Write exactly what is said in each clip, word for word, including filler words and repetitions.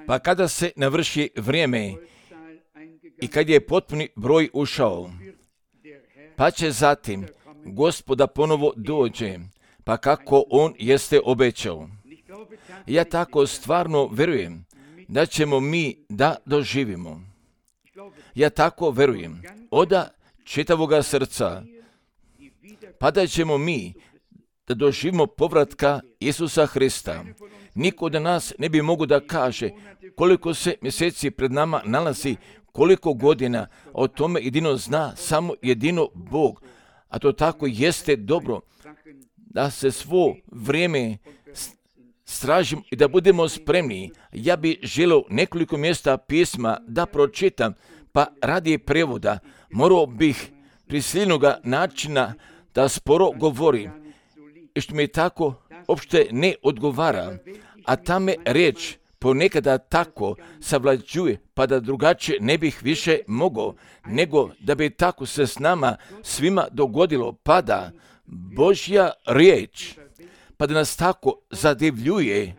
Pa kada se navrši vrijeme i kad je potpuni broj ušao, pa će zatim Gospoda ponovo dođe, pa kako on jeste obećao. Ja tako stvarno vjerujem da ćemo mi da doživimo. Ja tako vjerujem oda čitavoga srca, pa da ćemo mi da doživimo povratka Isusa Hrista. Niko od nas ne bi mogu da kaže koliko se mjeseci pred nama nalazi, koliko godina, o tome jedino zna samo jedino Bog. A to tako jeste dobro da se svo vrijeme stražimo i da budemo spremni. Ja bih želio nekoliko mjesta pisma da pročitam, pa radi prevoda morao bih prisiljenoga načina da sporo govori, i što mi tako uopšte ne odgovara, a ta me riječ ponekada tako savlađuje, pa da drugačije ne bih više mogao, nego da bi tako se s nama svima dogodilo, pa da Božja riječ, pa da nas tako zadivljuje,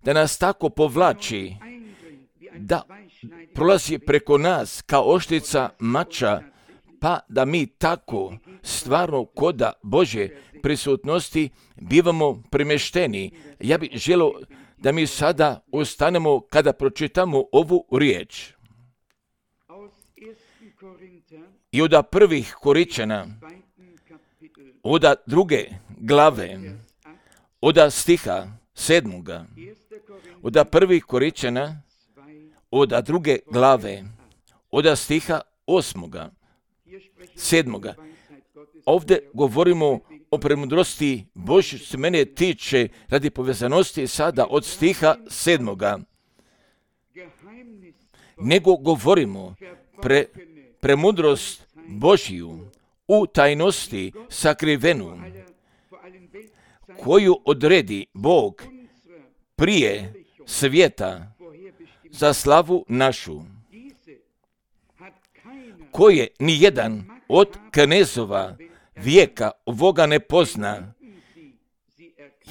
da nas tako povlači, da prolazi preko nas kao oštrica mača, pa da mi tako stvarno koda Božje prisutnosti bivamo premješteni. Ja bih želio da mi sada ustanemo kada pročitamo ovu riječ. I od prvih Koričana, od druge glave, od stiha sedmoga, od prvih Koričana, od druge glave, od stiha osmoga, sedmoga. Ovdje govorimo o premudrosti Božje, što se mene tiče radi povezanosti sada od stiha sedmoga. Nego govorimo pre, premudrost Božju u tajnosti sakrivenu, koju odredi Bog prije svijeta za slavu našu, koje ni jedan od knezova vijeka ovoga ne pozna,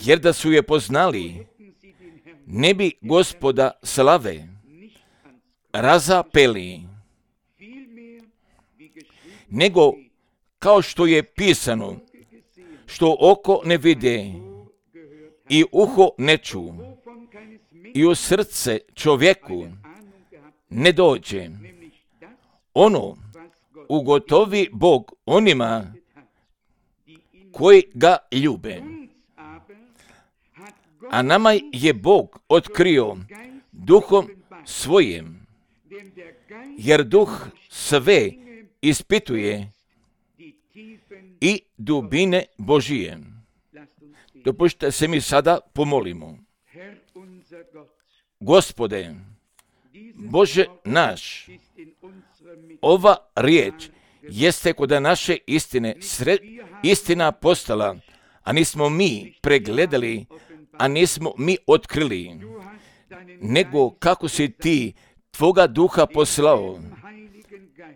jer da su je poznali, ne bi Gospoda slave razapeli, nego kao što je pisano, što oko ne vide i uho ne ču i u srce čovjeku ne dođe, ono ugotovi Bog onima koji ga ljube. A nama je Bog otkrio duhom svojim, jer duh sve ispituje i dubine Božije. Dopustite se mi sada pomolimo. Gospode, Bože naš, ova riječ jeste kod naše istine, sred, istina postala, a nismo mi pregledali, a nismo mi otkrili, nego kako si ti tvoga duha poslao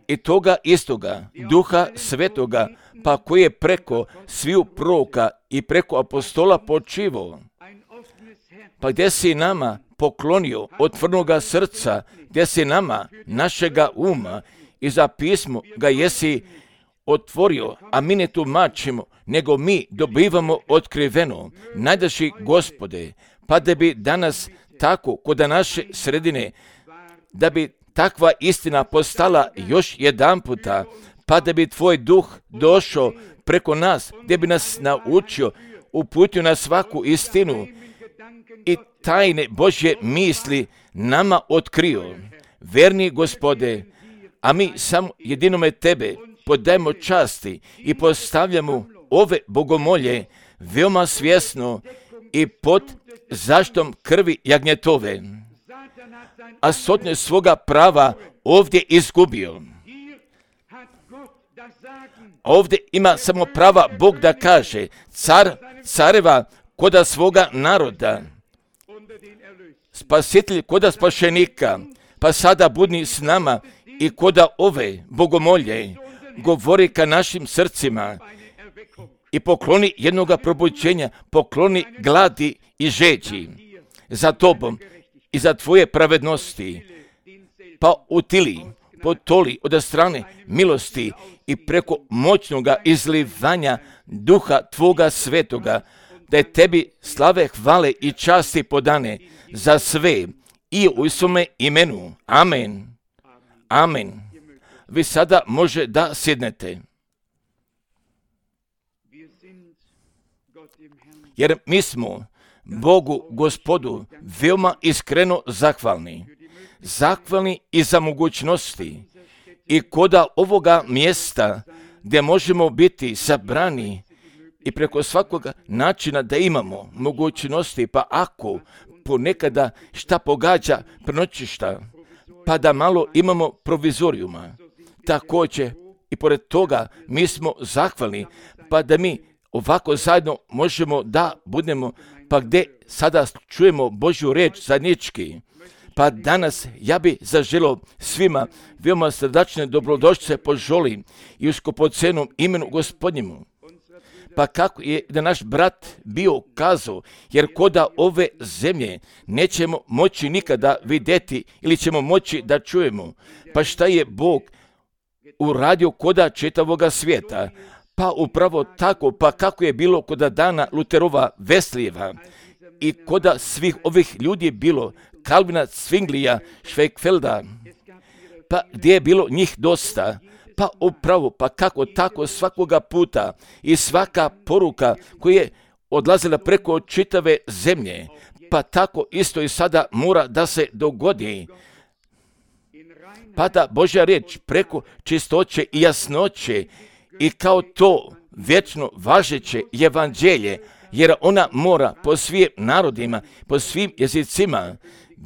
i toga istoga duha svetoga, pa koji je preko sviju proroka i preko apostola počivao, pa gdje si nama poklonio otvornoga srca, gdje si nama našega uma i za pismo ga jesi otvorio, a mi ne tumačimo, nego mi dobivamo otkriveno. Najdaši Gospode, pa da bi danas tako kod naše sredine, da bi takva istina postala još jedan puta, pa da bi tvoj duh došao preko nas, gdje bi nas naučio, uputio na svaku istinu i tajne Božje misli nama otkrio. Verni Gospode, a mi samo jedinome Tebe podajemo časti i postavljamo ove bogomolje veoma svjesno i pod zaštom krvi jagnjetove, a sotnje svoga prava ovdje izgubio. Ovdje ima samo prava Bog da kaže, car careva koda svoga naroda, spasitelj koda spašenika, pa sada budni s nama i koda ove bogomolje govori ka našim srcima i pokloni jednoga probuđenja, pokloni gladi i žeđi. za tobom i za tvoje pravednosti, pa utili, potoli od strane milosti i preko moćnoga izlivanja duha tvoga svetoga, da je tebi slave, hvale i časti podane za sve i u svome imenu. Amen. Amen. Vi sada može da sjednete. Jer mi smo Bogu Gospodu veoma iskreno zahvalni. Zahvalni i za mogućnosti i koda ovoga mjesta gdje možemo biti sabrani i preko svakoga načina da imamo mogućnosti, pa ako ponekada šta pogađa prenoćišta, pa da malo imamo provizorijuma. Također i pored toga mi smo zahvalni, pa da mi ovako zajedno možemo da budemo, pa gdje sada čujemo Božju riječ zajednički. Pa danas ja bi zaželio svima veoma srdačne dobrodošlice poželim i u skupocenom imenu Gospodnjemu. Pa kako je da naš brat bio kazao, jer koda ove zemlje nećemo moći nikada vidjeti ili ćemo moći da čujemo. Pa šta je Bog uradio koda čitavoga svijeta? Pa upravo tako, pa kako je bilo koda dana Luterova Veslijeva i koda svih ovih ljudi bilo, Kalvina, Zwinglija, Schweigfelda, pa gdje je bilo njih dosta, pa upravo, pa kako tako svakoga puta i svaka poruka koja je odlazila preko čitave zemlje, pa tako isto i sada mora da se dogodi. Pa da Božja riječ preko čistoće i jasnoće i kao to vječno važeće evanđelje, jer ona mora po svim narodima, po svim jezicima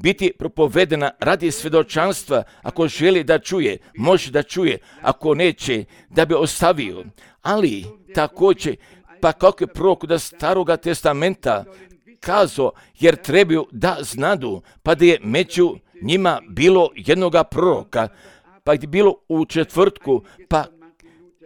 biti propovedena radi svjedočanstva. Ako želi da čuje, može da čuje, ako neće, da bi ostavio. Ali također, pa kako je prorok da Staroga testamenta kazao, jer trebaju da znadu, pa da je među njima bilo jednoga proroka, pa je bilo u četvrtku, pa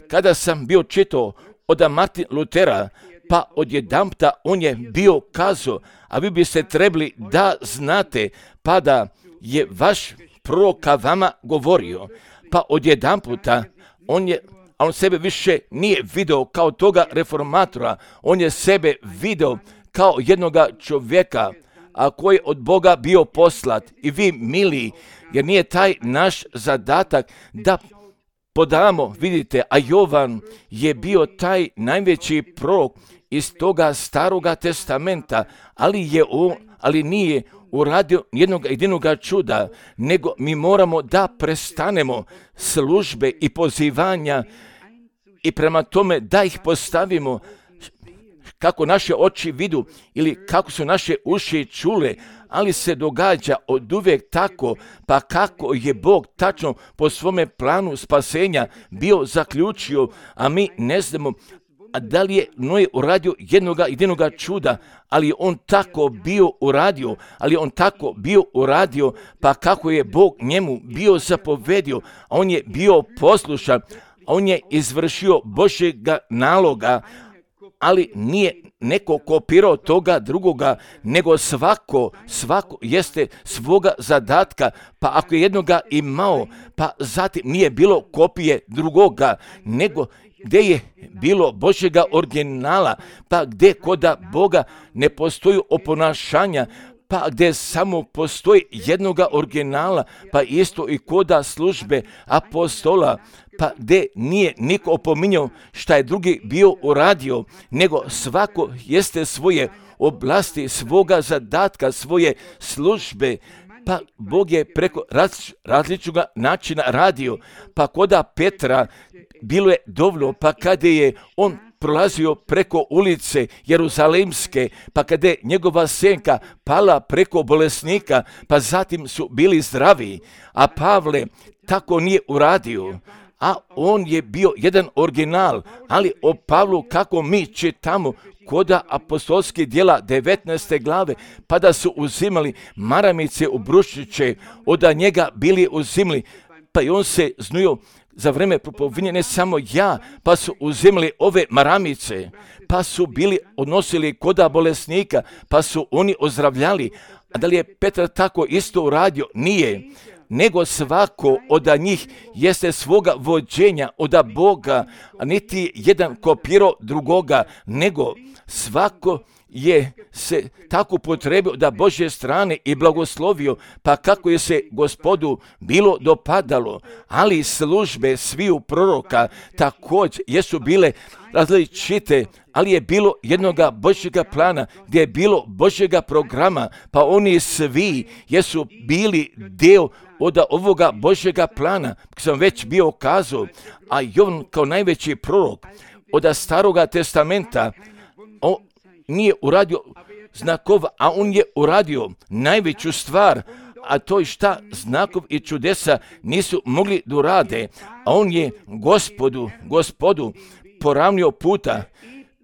kada sam bio čitao od Martina Lutera, pa odjedanputa on je bio kazao, a vi biste trebali da znate, pa da je vaš prorok vama govorio, pa odjedanputa on je, a on sebe više nije video kao toga reformatora, on je sebe video kao jednoga čovjeka, a koji je od Boga bio poslat. I vi, mili, jer nije taj naš zadatak da podamo, vidite, a Jovan je bio taj najveći prorok iz toga Staroga testamenta, ali je on, ali nije uradio jednog jedinog čuda, nego mi moramo da prestanemo službe i pozivanja i prema tome da ih postavimo kako naše oči vidu ili kako su naše uši čule, ali se događa od uvijek tako, pa kako je Bog tačno po svome planu spasenja bio zaključio, a mi ne znamo a da li je Noe uradio jednoga jedinoga čuda, ali on tako bio uradio, ali on tako bio uradio, pa kako je Bog njemu bio zapovedio, a on je bio poslušan, on je izvršio Božjega naloga, ali nije neko kopirao toga drugoga, nego svako, svako jeste svoga zadatka, pa ako je jednoga imao, pa zatim nije bilo kopije drugoga, nego gdje je bilo Božjega originala, pa gdje koda Boga ne postoji oponašanja, pa gdje samo postoji jednoga originala, pa isto i koda službe apostola, pa gdje nije niko opominjao šta je drugi bio uradio, nego svako jeste svoje oblasti, svoga zadatka, svoje službe, pa Bog je preko raz, različnog načina radio, pa koda Petra bilo je dovoljno, pa kada je on prolazio preko ulice Jeruzalemske, pa kada je njegova senka pala preko bolesnika, pa zatim su bili zdravi, a Pavle tako nije uradio, a on je bio jedan original, ali o Pavlu kako mi čitamo koda apostolskih djela devetnaeste glave, pa da su uzimali maramice u bruščiće, od njega bili uzimali, pa i on se znujio za vreme propovinje, ne samo ja, pa su uzimali ove maramice, pa su bili odnosili koda bolesnika, pa su oni ozdravljali, A da li je Petar tako isto uradio? Nije. Nego svako od njih jeste svoga vođenja od Boga, a niti jedan kopirao drugoga, nego svako je se tako potrebio da Božje strane i blagoslovio, pa kako je se Gospodu bilo dopadalo. Ali službe sviju proroka također jesu bile različite, ali je bilo jednoga Božjega plana, gdje je bilo Božjega programa, pa oni svi jesu bili dio od ovoga Božjega plana, kako sam već bio kazao, a Jovan kao najveći prorok od Staroga testamenta, on nije uradio znakova, a on je uradio najveću stvar, a to je šta znakov i čudesa nisu mogli da urade, a on je gospodu, gospodu poravnio puta,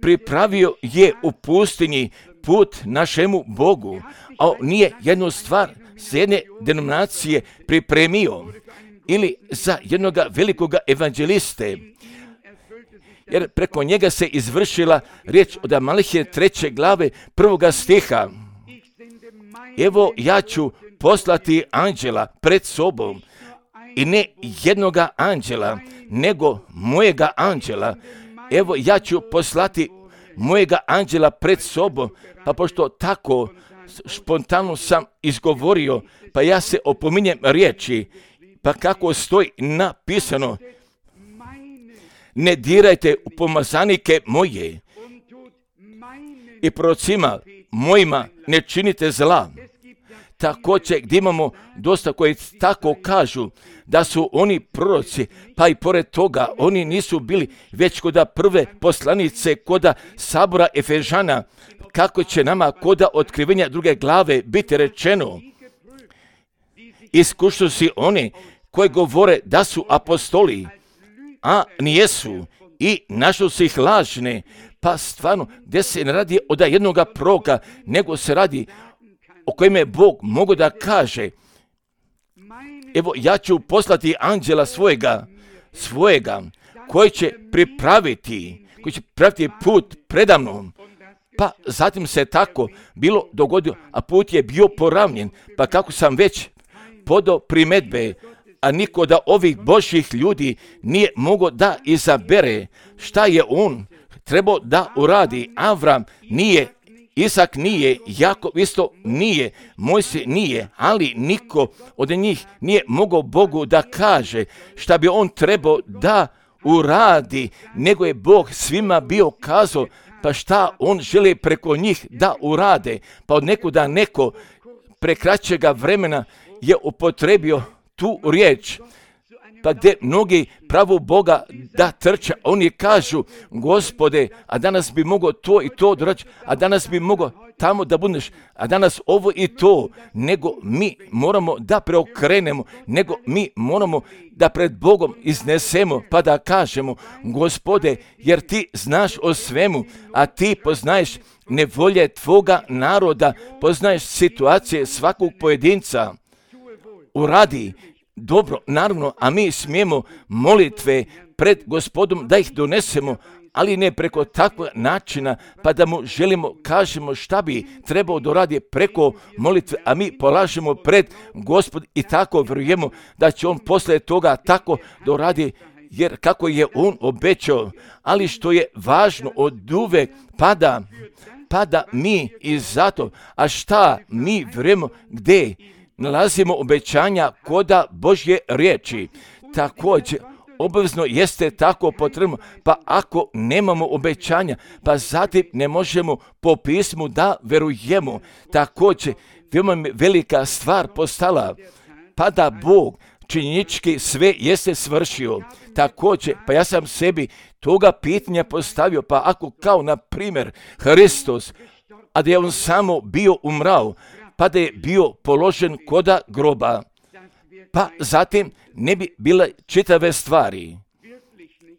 pripravio je u pustinji put našemu Bogu, a on nije jednu stvar s jedne denominacije pripremio ili za jednoga velikoga evanđeliste, jer preko njega se izvršila riječ od Malahije treće glave prvoga stiha. Evo ja ću poslati anđela pred sobom, i ne jednoga anđela, nego mojega anđela. Evo ja ću poslati mojega anđela pred sobom, pa pošto tako spontano sam izgovorio, pa ja se opominjem riječi, pa kako stoji napisano, ne dirajte u pomazanike moje i prorocima mojima ne činite zla. Također gdje imamo dosta koji tako kažu da su oni proroci, pa i pored toga oni nisu bili već koda prve poslanice, koda sabora Efežana, kako će nama koda otkrivenja druge glave biti rečeno. Iskušali su oni koji govore da su apostoli, a nijesu, i našli su ih lažne, pa stvarno gdje se ne radi od jednoga proroka, nego se radi o kojem je Bog mogo da kaže, evo ja ću poslati anđela svojega, svojega, koji će pripraviti, koji će pripraviti put predamnom. Pa zatim se tako bilo dogodio, a put je bio poravnjen, pa kako sam već podao primedbe, a niko da ovih Božjih ljudi nije mogao da izabere šta je on trebao da uradi. Avram nije, Isak nije, Jakov isto nije, Mojsije nije, ali niko od njih nije mogao Bogu da kaže šta bi on trebao da uradi, nego je Bog svima bio kazao pa šta on želi preko njih da urade. Pa od nekuda neko prekraćega vremena je upotrebio tu riječ, pa gdje mnogi pravu Boga da trče, oni kažu, Gospode, a danas bi mogao to i to doraći, a danas bi mogao tamo da budeš, a danas ovo i to, nego mi moramo da preokrenemo, nego mi moramo da pred Bogom iznesemo, pa da kažemo, Gospode, jer ti znaš o svemu, a ti poznaješ nevolje tvoga naroda, poznaješ situacije svakog pojedinca. Uradi dobro, naravno, a mi smijemo molitve pred Gospodom da ih donesemo, ali ne preko takvog načina, pa da mu želimo, kažemo šta bi trebao da radi preko molitve, a mi polažemo pred Gospod i tako vjerujemo da će on poslije toga tako da radi, jer kako je on obećao, ali što je važno od uvek pada, pada mi i zato, a šta mi vjerujemo gdje nalazimo obećanja koda Božje riječi. Također, obavezno jeste tako potrebno, pa ako nemamo obećanja, pa zatim ne možemo po pismu da verujemo. Također, veoma velika stvar postala, pa da Bog činjenički sve jeste svršio. Također, pa ja sam sebi toga pitanja postavio, pa ako kao na primjer Hristos, a da je on samo bio umrao, pa da je bio položen koda groba, pa zatim ne bi bile čitave stvari.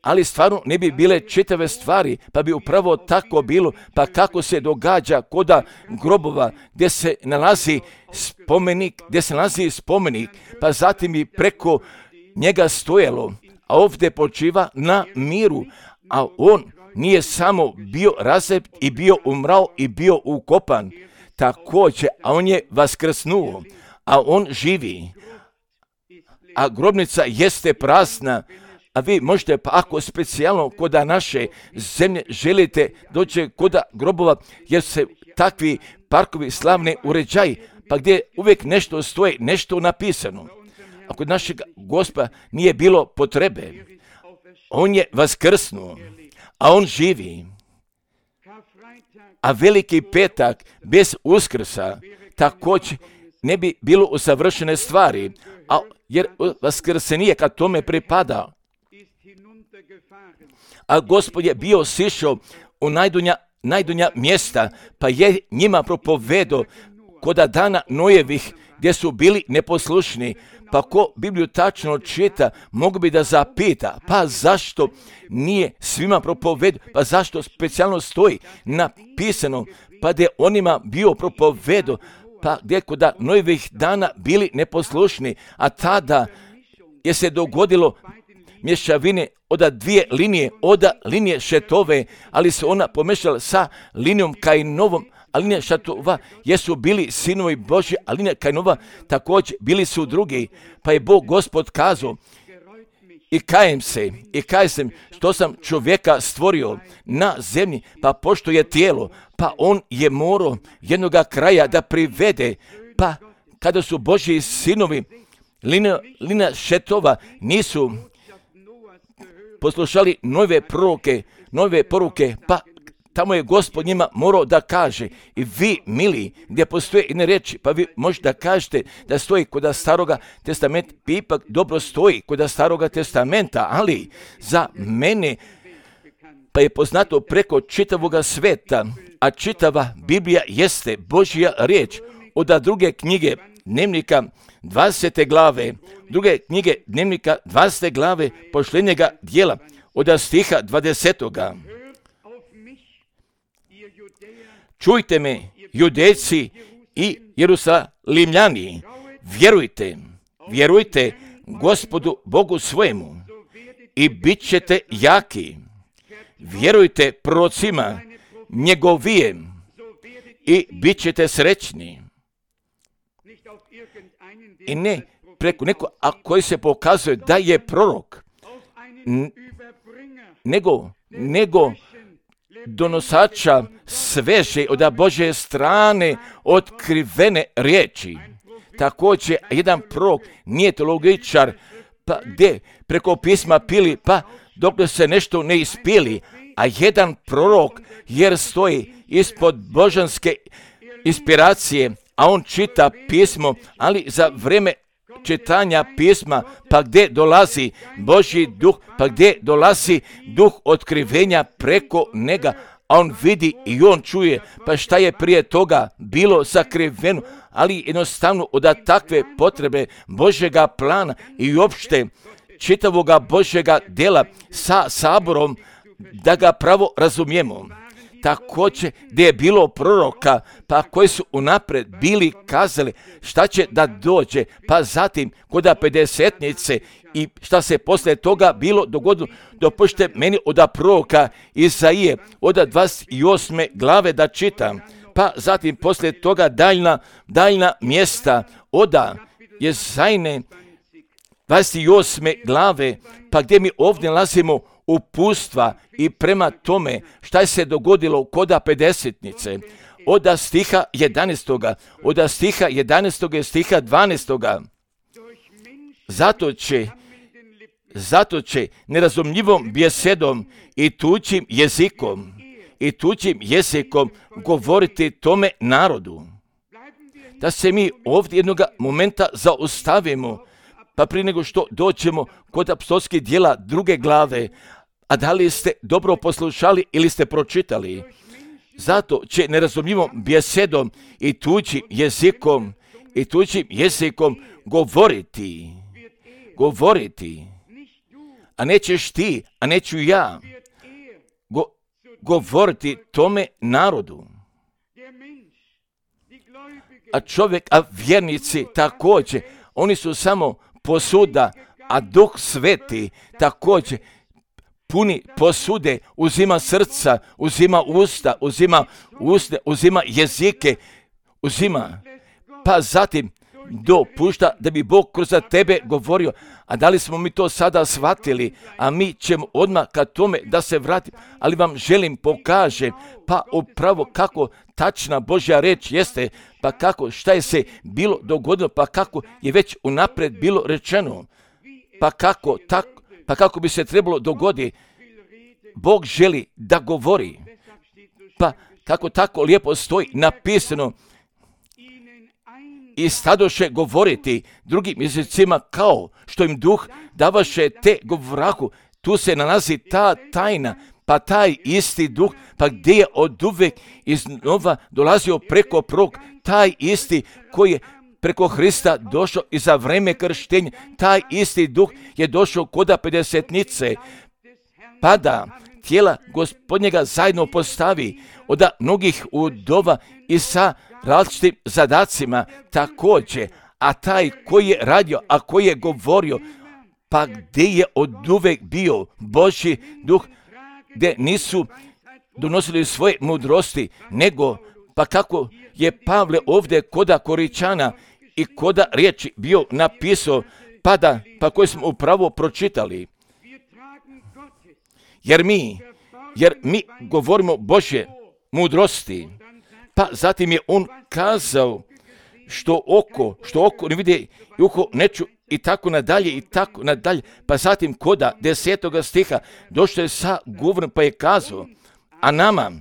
Ali stvarno ne bi bile čitave stvari, pa bi upravo tako bilo, pa kako se događa koda grobova gdje se nalazi spomenik, gdje se nalazi spomenik, pa zatim bi preko njega stojalo, a ovdje počiva na miru, a on nije samo bio razep i bio umrao i bio ukopan. također, a on je vaskrsnuo, a on živi, a grobnica jeste prazna, a vi možete, pa ako specijalno kod naše zemlje želite doći kod grobova, jer se takvi parkovi slavni uređaji, pa gdje uvijek nešto stoji, nešto napisano. A kod našeg Gospoda nije bilo potrebe. On je vaskrsnuo, a on živi. A veliki petak bez Uskrsa također ne bi bilo usavršene stvari, a jer vaskrsenije kad tome pripada. A Gospod je bio sišao u najdunja, najdunja mjesta, pa je njima propovedo koda dana Nojevih, gdje su bili neposlušni. Pa ko Bibliju tačno čita, mogu bi da zapita, pa zašto nije svima propovedo, pa zašto specijalno stoji napisano, pa gdje onima bio propovedo, pa gdje koda Nojevih dana bili neposlušni, a tada je se dogodilo mješavine od dvije linije, od linije Šetove, ali se ona pomešala sa linijom Kainovom, a linija Šetova jesu bili sinovi Božji, a linija Kainova također bili su drugi, pa je Bog Gospod kazao, i kajem se, i kajem se što sam čovjeka stvorio na zemlji, pa pošto je tijelo, pa on je morao jednoga kraja da privede, pa kada su Božji sinovi, linija, linija Šetova nisu poslušali nove proroke, nove poruke, pa tamo je Gospod njima morao da kaže, i vi, mili, gdje postoje jedne reči, pa vi možete da kažete da stoji kod staroga testamenta, ipak dobro stoji kod staroga testamenta, ali za mene pa je poznato preko čitavoga sveta, a čitava Biblija jeste Božja riječ. Od druge knjige Dnevnika dvadesete glave, druge knjige Dnevnika dvadesete glave posljednjega dijela, od stiha dvadesetoga. Čujte me, Judejci i Jerusalimljani, vjerujte, vjerujte Gospodu Bogu svojemu i bit ćete jaki. Vjerujte prorocima njegovijem i bit ćete srećni. I ne preko neko, a koji se pokazuje da je prorok, n- nego, nego donosača sveže od Božje strane otkrivene riječi. Također, jedan prorok nije teologičar, pa gdje preko pisma pili, pa dok se nešto ne ispili, a jedan prorok jer stoji ispod božanske inspiracije, a on čita pismo, ali za vrijeme čitanja pisma, pa gdje dolazi Božji duh, pa gdje dolazi duh otkrivenja preko njega, a on vidi i on čuje, pa šta je prije toga bilo sakriveno, ali jednostavno od takve potrebe Božjega plana i uopšte čitavoga Božjega djela sa saborom, da ga pravo razumijemo. Također gdje je bilo proroka, pa koji su unaprijed bili kazali šta će da dođe, pa zatim kod pedesetnice i šta se poslije toga bilo dogodilo, dopušte meni od proroka Isaije od dvadeset osme glave da čitam, pa zatim poslije toga daljna, daljna mjesta od Jesajne dvadeset osme glave, pa gdje mi ovdje nalazimo upustva i prema tome šta je se dogodilo kod pedesetnice, od stiha jedanaestoga, od stiha jedanaestoga i stiha dvanaestoga. Zato će, zato će nerazumljivom bjesedom i tuđim jezikom, i tuđim jezikom govoriti tome narodu. Da se mi ovdje jednoga momenta zaustavimo, pa prije nego što dođemo kod apostolskih djela druge glave, a da li ste dobro poslušali ili ste pročitali? Zato će nerazumljivom bjesedom i tuđim jezikom i tuđim jezikom govoriti, govoriti, a nećeš ti, a neću ja, go, govoriti tome narodu. A čovjek, a vjernici također, oni su samo posuda, a Duh Sveti također puni posude, uzima srca, uzima usta, uzima usne, uzima jezike, uzima, pa zatim dopušta da bi Bog kroz tebe govorio. A da li smo mi to sada shvatili? A mi ćemo odmah ka tome da se vratim. Ali vam želim pokažem, pa upravo kako tačna Božja reč jeste, pa kako šta je se bilo dogodilo, pa kako je već unaprijed bilo rečeno, pa kako, tako, pa kako bi se trebalo dogoditi. Bog želi da govori, pa kako tako lijepo stoji napisano, i stadoše govoriti drugim jezicima kao što im duh davaše te govorahu. Tu se nalazi ta tajna, pa taj isti duh, pa gdje je od uvek iznova dolazio preko prog, taj isti koji je preko Hrista došao i za vreme krštenja, taj isti duh je došao koda pedesetnice, pa da tijela Gospodnjega zajedno postavi od mnogih udova i sa različitim zadacima također, a taj koji je radio, a koji je govorio, pa gdje je od uvek bio Božji duh, gdje nisu donosili svoje mudrosti, nego pa kako je Pavle ovdje koda Koričana i koda riječi bio napisao, pa da, pa koji smo upravo pročitali. Jer mi, jer mi govorimo Božje mudrosti, pa zatim je on kazao što oko, što oko ne vidi i uho ne ču i tako nadalje i tako nadalje. Pa zatim koda desetoga stiha došao je sa govorom pa je kazao, a nama,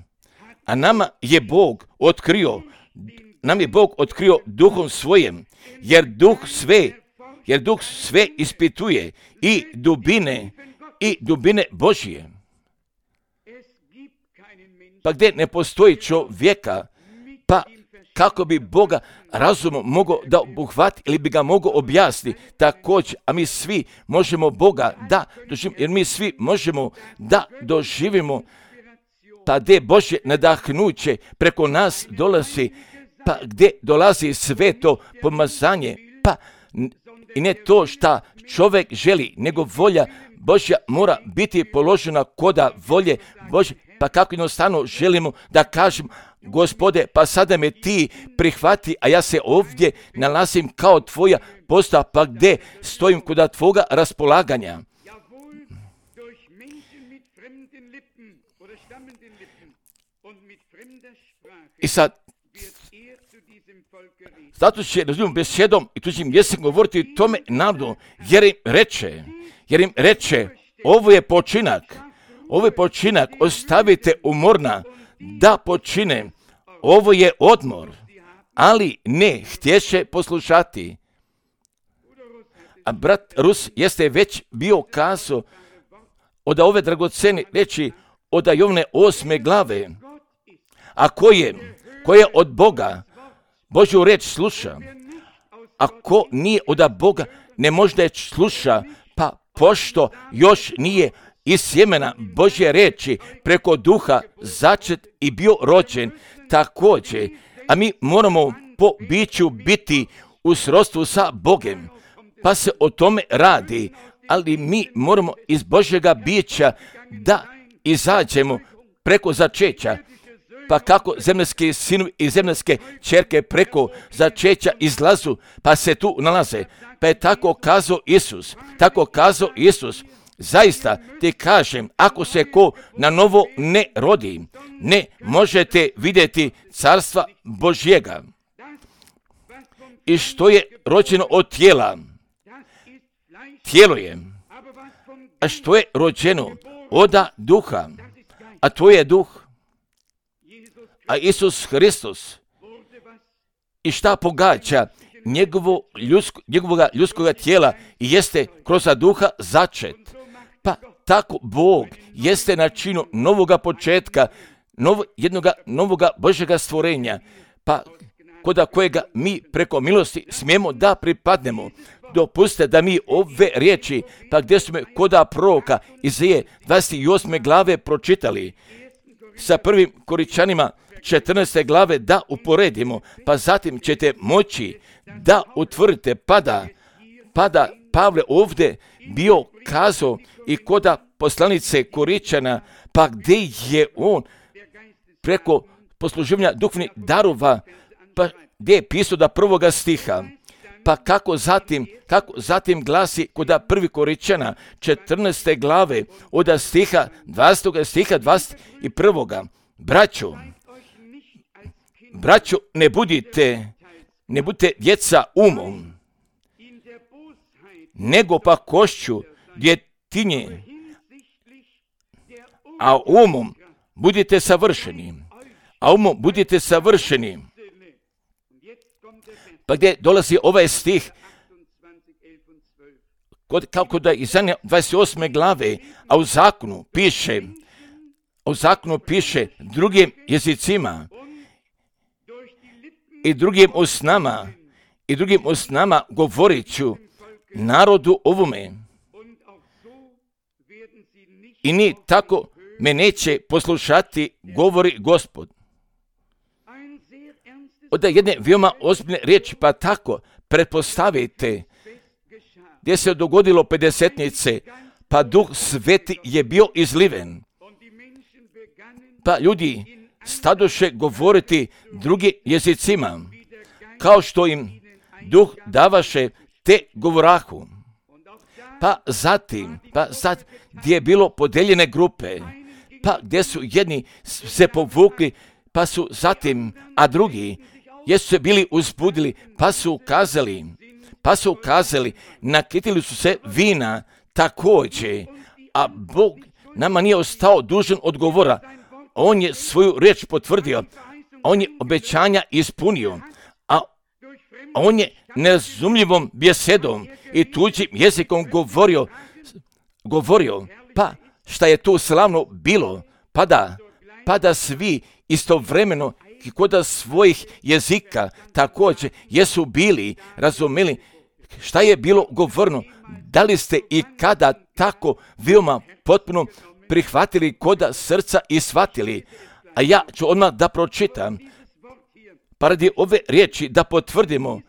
a nama je Bog otkrio, nam je Bog otkrio duhom svojim, jer duh sve, jer duh sve ispituje i dubine, i dubine Božje. Pa gdje ne postoji čovjeka, pa kako bi Boga razumom mogao da obuhvati ili bi ga mogao objasniti također, a mi svi možemo Boga da doživimo, jer mi svi možemo da doživimo, pa gdje Božje nadahnuće preko nas dolazi, pa gdje dolazi sve to pomazanje, pa i ne to šta čovjek želi, nego volja Božja mora biti položena koda volje Božje, pa kako jednostavno želimo da kažemo, Gospode, pa sada me ti prihvati, a ja se ovdje nalazim kao tvoja postava, pa gdje stojim koda tvoga raspolaganja. I sad, zato će razumom besedom i tuđim jezikom govoriti tome narodu, jer im reče, jer im reče, ovo je počinak, ovo je počinak, ostavite umorna da počine, ovo je odmor, ali ne htješe poslušati. A brat Rus jeste već bio kazao od ove dragocene reči od Jovne osme glave, a ko je, ko je od Boga, Božju reč sluša, a ko nije od Boga, ne može da je sluša, pa pošto još nije iz sjemena Božje reči preko duha začet i bio rođen također, a mi moramo po biću biti u srodstvu sa Bogem, pa se o tome radi, ali mi moramo iz Božjega bića da izađemo preko začeća, pa kako zemljski sinovi i zemljske ćerke preko začeća izlazu, pa se tu nalaze, pa je tako kazao Isus, tako kazao Isus. Zaista ti kažem, ako se ko na novo ne rodi, ne možete vidjeti carstva Božjega. I što je rođeno od tijela, tijelo je, a što je rođeno od duha, a to je duh, a Isus Hristos. I šta pogađa njegovo ljudsko, njegovoga ljudskoga tijela i jeste kroz duha začet. Pa tako Bog jeste na činu novoga početka, novo, jednoga novoga Božjega stvorenja, pa koda kojega mi preko milosti smijemo da pripadnemo. Dopustite da mi ove riječi, pa gdje smo koda proroka Izaije dvadeset osme glave pročitali, sa prvim Koričanima četrnaeste glave da uporedimo, pa zatim ćete moći da utvrdite, pada, pada Pavle ovdje bio kazao i koda poslanice Koričana, pa gdje je on preko posluživanja duhovnih darova, pa gdje je pisao da prvoga stiha, pa kako zatim, kako zatim glasi kod prvi Korinćana četrnaeste glave od stiha dvadesetog stiha dvadeset prvog. Braćo, braćo, ne budite, ne budite djeca umom, nego pa košću djetinje, a umom budite savršeni, a umom budite savršeni. Pa gdje dolazi ovaj stih, kod, kako da iz dvadeset osme glave, a u zakonu piše, a u zakonu piše drugim jezicima i drugim usnama, i drugim usnama govorit ću narodu ovome. I ni tako me neće poslušati, govori Gospod. Od jedne veoma ozbiljne riječi, pa tako pretpostavite gdje se dogodilo pedesetnice, pa Duh Sveti je bio izliven. Pa ljudi stadoše govoriti drugim jezicima, kao što im Duh davaše te govorahu. Pa zatim, pa zatim, gdje je bilo podeljene grupe, pa gdje su jedni se povukli, pa su zatim, a drugi jesu se bili uzbudili, pa su ukazali, pa su ukazali, nakitili su se vina također, a Bog nama nije ostao dužan odgovora. On je svoju riječ potvrdio, on je obećanja ispunio, a on je nerazumljivom bjesedom i tuđim jezikom govorio, govorio, pa šta je tu slavno bilo, pa da, pa da svi istovremeno kod svojih jezika također jesu bili, razumjeli šta je bilo govorno. Da li ste i kada tako veoma potpuno prihvatili koda srca i shvatili? A ja ću odmah da pročitam, pa radi ove riječi da potvrdimo,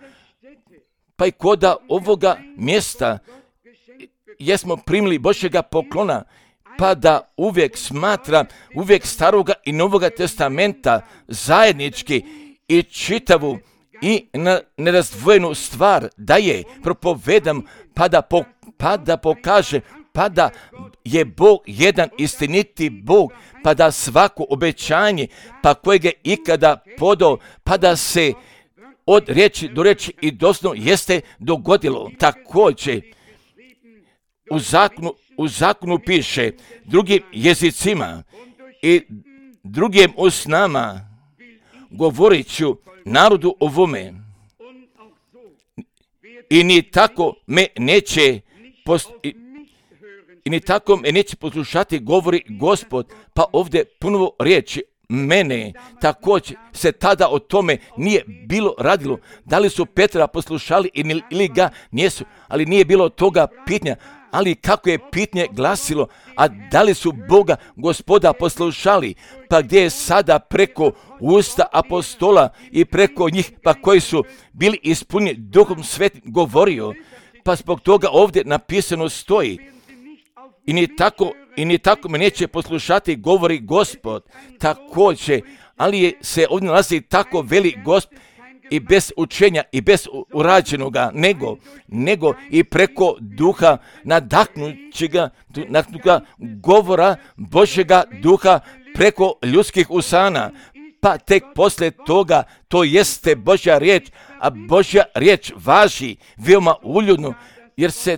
pa i koda ovoga mjesta jesmo primili Božjega poklona, pa da uvijek smatra, uvijek staroga i novoga testamenta zajednički i čitavu i nerazdvojenu stvar da je propovedam, pa da, po, pa da pokaže, pa da je Bog jedan istiniti Bog, pa da svako obećanje, pa kojeg je ikada podao, pa da se od riječi do riječi i doslovno jeste dogodilo. Također u zakonu, u zakonu piše drugim jezicima i drugim usnama govorit ću narodu ovome. I ni tako me neće post, i, i ni tako me neće poslušati, govori Gospod. Pa ovdje ponovo riječi mene, također se tada o tome nije bilo radilo. Da li su Petra poslušali ili ga nisu, ali nije bilo toga pitanja. Ali kako je pitanje glasilo, a da li su Boga Gospoda poslušali, pa gdje je sada preko usta apostola i preko njih, pa koji su bili ispunjeni Duhom Svetim govorio, pa zbog toga ovdje napisano stoji. I ni tako, i ni tako me neće poslušati, govori Gospod. Također, ali je, se ovdje nalazi tako veli Gospod, i bez učenja i bez urađenoga, nego, nego i preko duha nadahnućega, nadahnućega govora Božjega duha preko ljudskih usana. Pa tek poslije toga to jeste Božja riječ, a Božja riječ važi veoma uljudno, jer se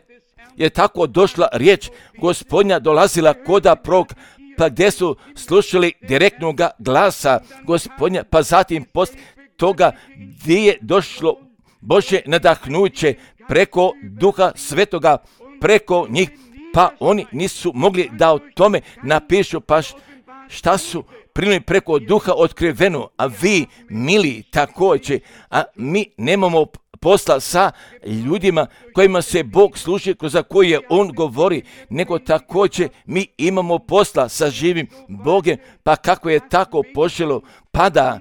je tako došla riječ Gospodnja dolazila koda prog, pa gdje su slušali direktnoga glasa Gospodnja, pa zatim poslije toga gdje je došlo Božje nadahnuće preko Duha Svetoga, preko njih, pa oni nisu mogli da o tome napišu, pa šta su primili preko Duha otkriveno, a vi, mili, također, a mi nemamo posla sa ljudima kojima se Bog služi, za koje je On govori, nego također mi imamo posla sa živim Bogem, pa kako je tako poželo, pa da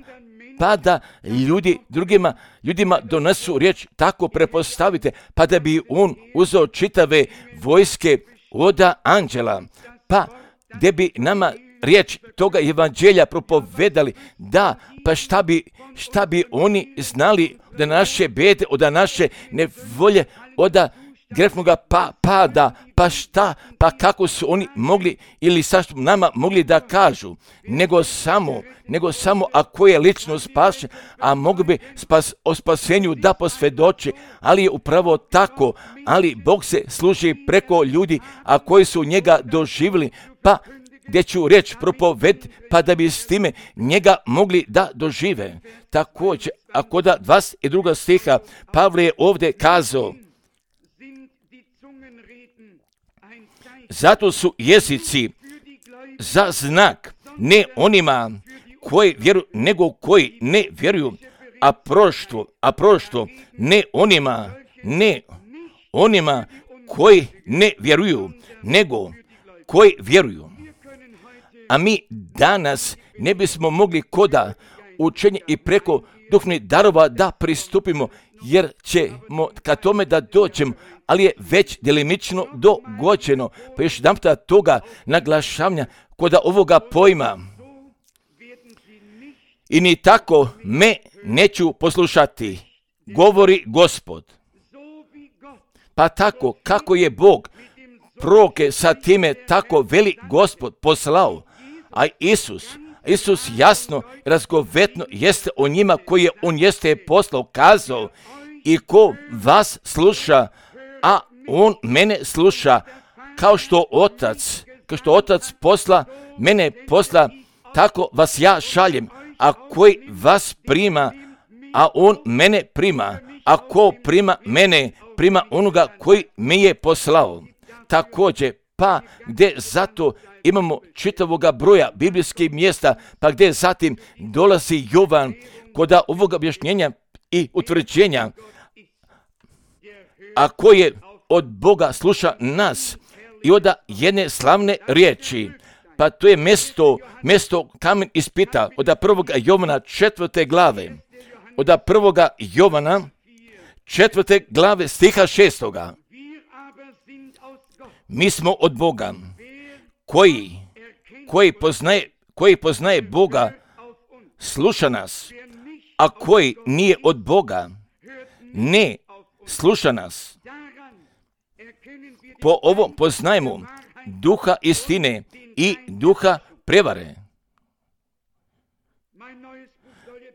pa da ljudi drugima ljudima donesu riječ, tako prepostavite, pa da bi on uzeo čitave vojske oda anđela, pa gdje bi nama riječ toga evanđelja propovedali, da, pa šta bi, šta bi oni znali da naše bede, od naše nevolje, od grefnoga pa, pada, pa šta, pa kako su oni mogli ili sa što nama mogli da kažu, nego samo, nego samo ako je lično spašen, a mogu bi spas, o spasenju da posvjedoči, ali je upravo tako, ali Bog se služi preko ljudi, a koji su njega doživjeli, pa gdje ću reći propoved, pa da bi s time njega mogli da dožive. Također, ako da dvadeset druga stiha, Pavle je ovdje kazao, zato su jezici za znak, ne onima koji vjeruju, nego koji ne vjeruju, a proštvo, a proštvo, ne onima, ne onima koji ne vjeruju, nego koji vjeruju. A mi danas ne bismo mogli koda učenje i preko duhovnih darova da pristupimo, jer ćemo ka tome da dođemo, ali je već delimično dogođeno. Pa još jedan puta toga naglašavanja koda ovoga pojma. I ni tako me neću poslušati, govori Gospod. Pa tako kako je Bog proroke sa time, tako veli Gospod poslao, a Isus, Isus jasno, razgovetno jeste o njima koje on jeste poslao, kazao, i ko vas sluša, a on mene sluša, kao što otac, kao što otac posla, mene posla, tako vas ja šaljem, a koji vas prima, a on mene prima, a ko prima mene, prima onoga koji me je poslao. Također, pa gdje zato imamo čitavoga broja biblijskih mjesta, pa gdje zatim dolazi Jovan kod ovoga objašnjenja i utvrđenja, a koje od Boga sluša nas i od jedne slavne riječi, pa to je mjesto, mjesto kamen ispita od prvoga Jovana četvrte glave, od prvoga Jovana četvrte glave stiha šestoga. Mi smo od Boga, koji, koji, poznaje, koji poznaje Boga, sluša nas, a koji nije od Boga, ne sluša nas. Po ovom poznajemo duha istine i duha prevare.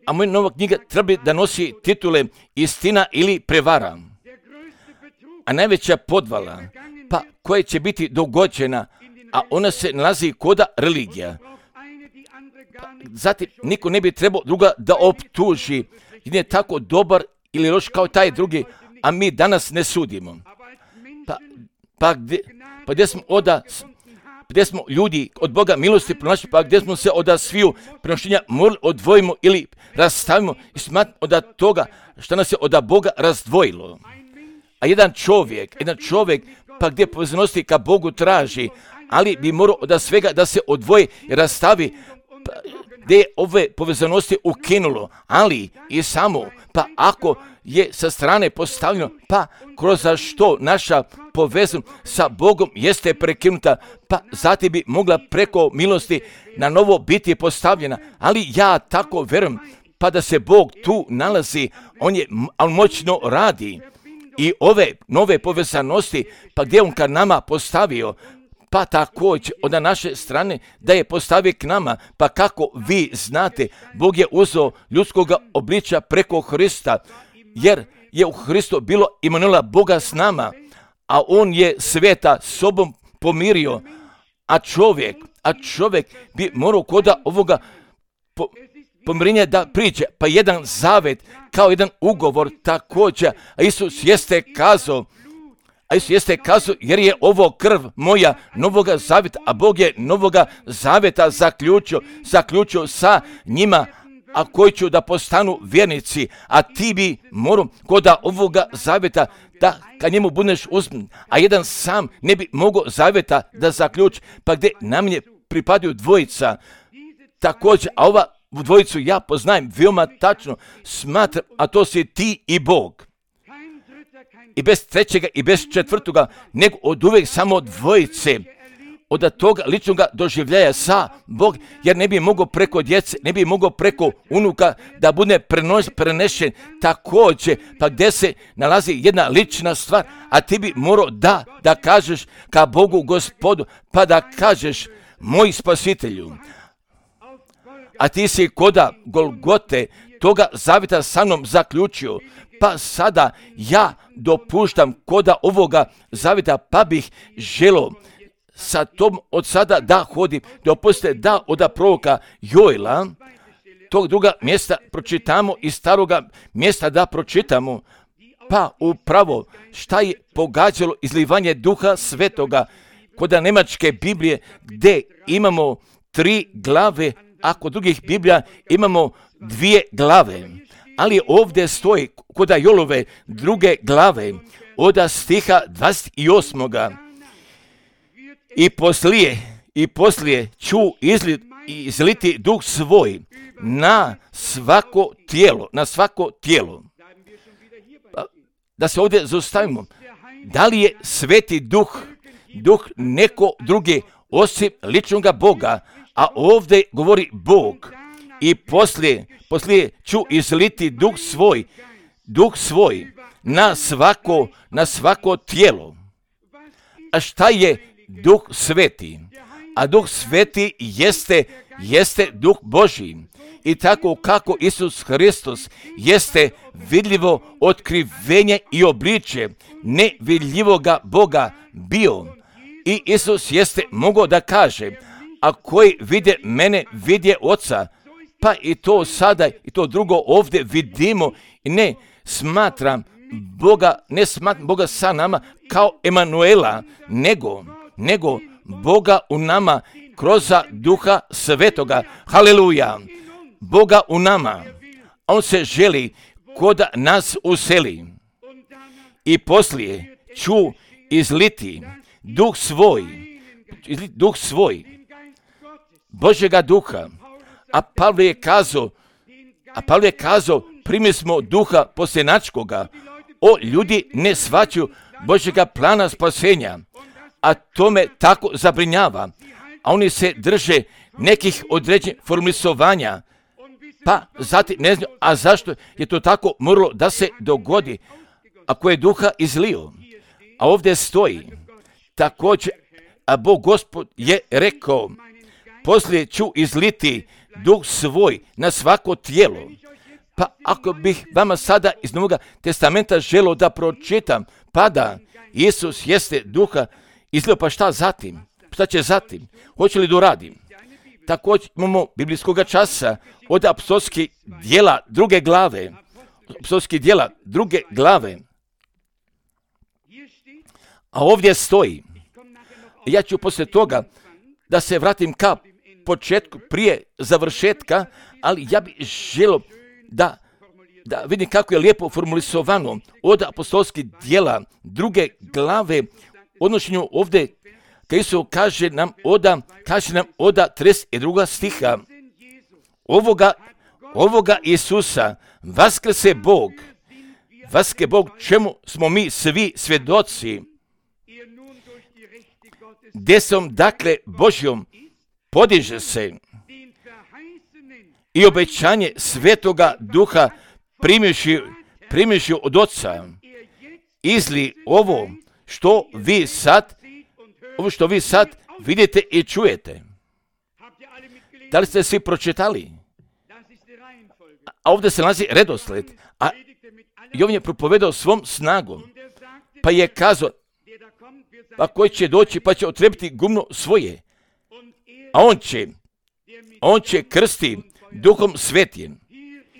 A moja nova knjiga treba da nosi titule Istina ili prevara. A najveća podvala, pa koja će biti dogođena, a ona se nalazi koda religija. Pa, zatim, niko ne bi trebao druga da optuži, jer je tako dobar ili loš kao taj drugi, a mi danas ne sudimo. Pa, pa, gdje, pa gdje smo oda, gdje smo ljudi od Boga milosti pronašli, pa gdje smo se oda sviju prenošenja morali odvojimo ili rastavimo i smatramo od toga što nas je od Boga razdvojilo. A jedan čovjek, jedan čovjek, pa gdje povezanosti ka Bogu traži, ali bi morao od svega da se odvoji i rastavi, pa, gdje je ove povezanosti ukinulo, ali i samo, pa ako je sa strane postavljeno, pa kroz što naša povezanost sa Bogom jeste prekinuta, pa zatim bi mogla preko milosti na novo biti postavljena, ali ja tako verujem, pa da se Bog tu nalazi, on je on moćno radi i ove nove povezanosti, pa gdje on ka nama postavio, pa također od naše strane da je postavio k nama, pa kako vi znate, Bog je uzeo ljudskoga obličja preko Hrista, jer je u Hristu bilo Imanuela Boga s nama, a on je sveta sobom pomirio, a čovjek, a čovjek bi morao koda ovoga po, pomirenja da priđe, pa jedan zavet kao jedan ugovor također, a Isus jeste kazao, a Isus jeste kazao, jer je ovo krv moja novoga zaveta, a Bog je novoga zaveta zaključio, zaključio sa njima, a koji će da postanu vjernici, a ti bi morao koda ovoga zaveta da kad njemu budeš uzman, a jedan sam ne bi mogao zaveta da zaključi, pa gdje nam je pripadaju dvojica, također, a ova dvojicu ja poznajem veoma tačno, smatram, a to si ti i Bog. I bez trećega i bez četvrtoga, nego od uvijek samo dvojice. od toga ličnog doživljaja sa Bog, jer ne bi mogao preko djece, ne bi mogao preko unuka da bude prenos, prenešen također, pa gdje se nalazi jedna lična stvar, a ti bi morao da, da kažeš ka Bogu Gospodu, pa da kažeš moj spasitelju. A ti si koda Golgote toga zavjeta sa mnom zaključio, pa sada ja dopuštam koda ovoga zavjeta, pa bih želio sa tom od sada da hodim, dopustite da od proroka Joela, tog druga mjesta pročitamo i staroga mjesta da pročitamo, pa upravo šta je pogađalo izlivanje Duha Svetoga kod Njemačke Biblije, gdje imamo tri glave, a kod drugih Biblija imamo dvije glave. Ali ovdje stoji kod Joelove druge glave, od stiha dvadeset osam. I poslije, i poslije ću izli, izliti duh svoj na svako tijelo, na svako tijelo. Pa, da se ovdje zaustavimo. Da li je Sveti Duh, duh neko drugi osim ličnoga Boga, a ovdje govori Bog. I poslije, poslije ću izliti duh svoj, duh svoj na svako, na svako tijelo. A šta je Duh Sveti? A Duh Sveti jeste, jeste Duh Božji. I tako kako Isus Hristos jeste vidljivo otkrivenje i obličje nevidljivoga Boga bio. I Isus jeste mogao da kaže, a koji vide mene, vidje Oca. Pa i to sada i to drugo ovdje vidimo i ne smatram Boga, ne smatram Boga sa nama kao Emanuela, nego, nego Boga u nama kroz Duha Svetoga. Haleluja! Boga u nama. On se želi kod nas useli. I poslije ću izliti duh svoj, izliti duh svoj, Božjega duha. A Pavle je kazao, a Pavle je kazao, primi smo duha posljenačkoga. O, ljudi ne shvaćaju Božjega plana spasenja, a to me tako zabrinjava. A oni se drže nekih određenih formulisovanja, pa zatim ne znaju, a zašto je to tako moralo da se dogodi, ako je duha izlio. A ovdje stoji, također, a Bog Gospod je rekao, poslije ću izliti duh svoj na svako tijelo. Pa ako bih vama sada iz Novoga testamenta želio da pročitam, pa da Isus jeste duha izlio, pa šta zatim? Šta će zatim? Hoće li doradim? Također imamo biblijskoga časa od apostolskih djela druge glave. Apostolskih djela druge glave. A ovdje stoji, ja ću poslije toga da se vratim ka početku, prije završetka, ali ja bih želio da, da vidim kako je lijepo formulisovano od apostolskih djela druge glave, odnošenju ovdje, kad Isus kaže nam oda, kaže nam oda trideset druga stiha, ovoga, ovoga Isusa vaskrse Bog, vaskrse Bog, čemu smo mi svi svjedoci, desom dakle Božjom podiže se i obećanje Svetoga Duha primivši, primivši od Oca, izli ovo što vi sad, ovo što vi sad vidite i čujete. Da li ste svi pročitali? A ovdje se nalazi redosled, a Jovan je propovedao svom snagom, pa je kazao, pa koji će doći pa će otrebiti gumno svoje, a on će, on će krsti Duhom Svetim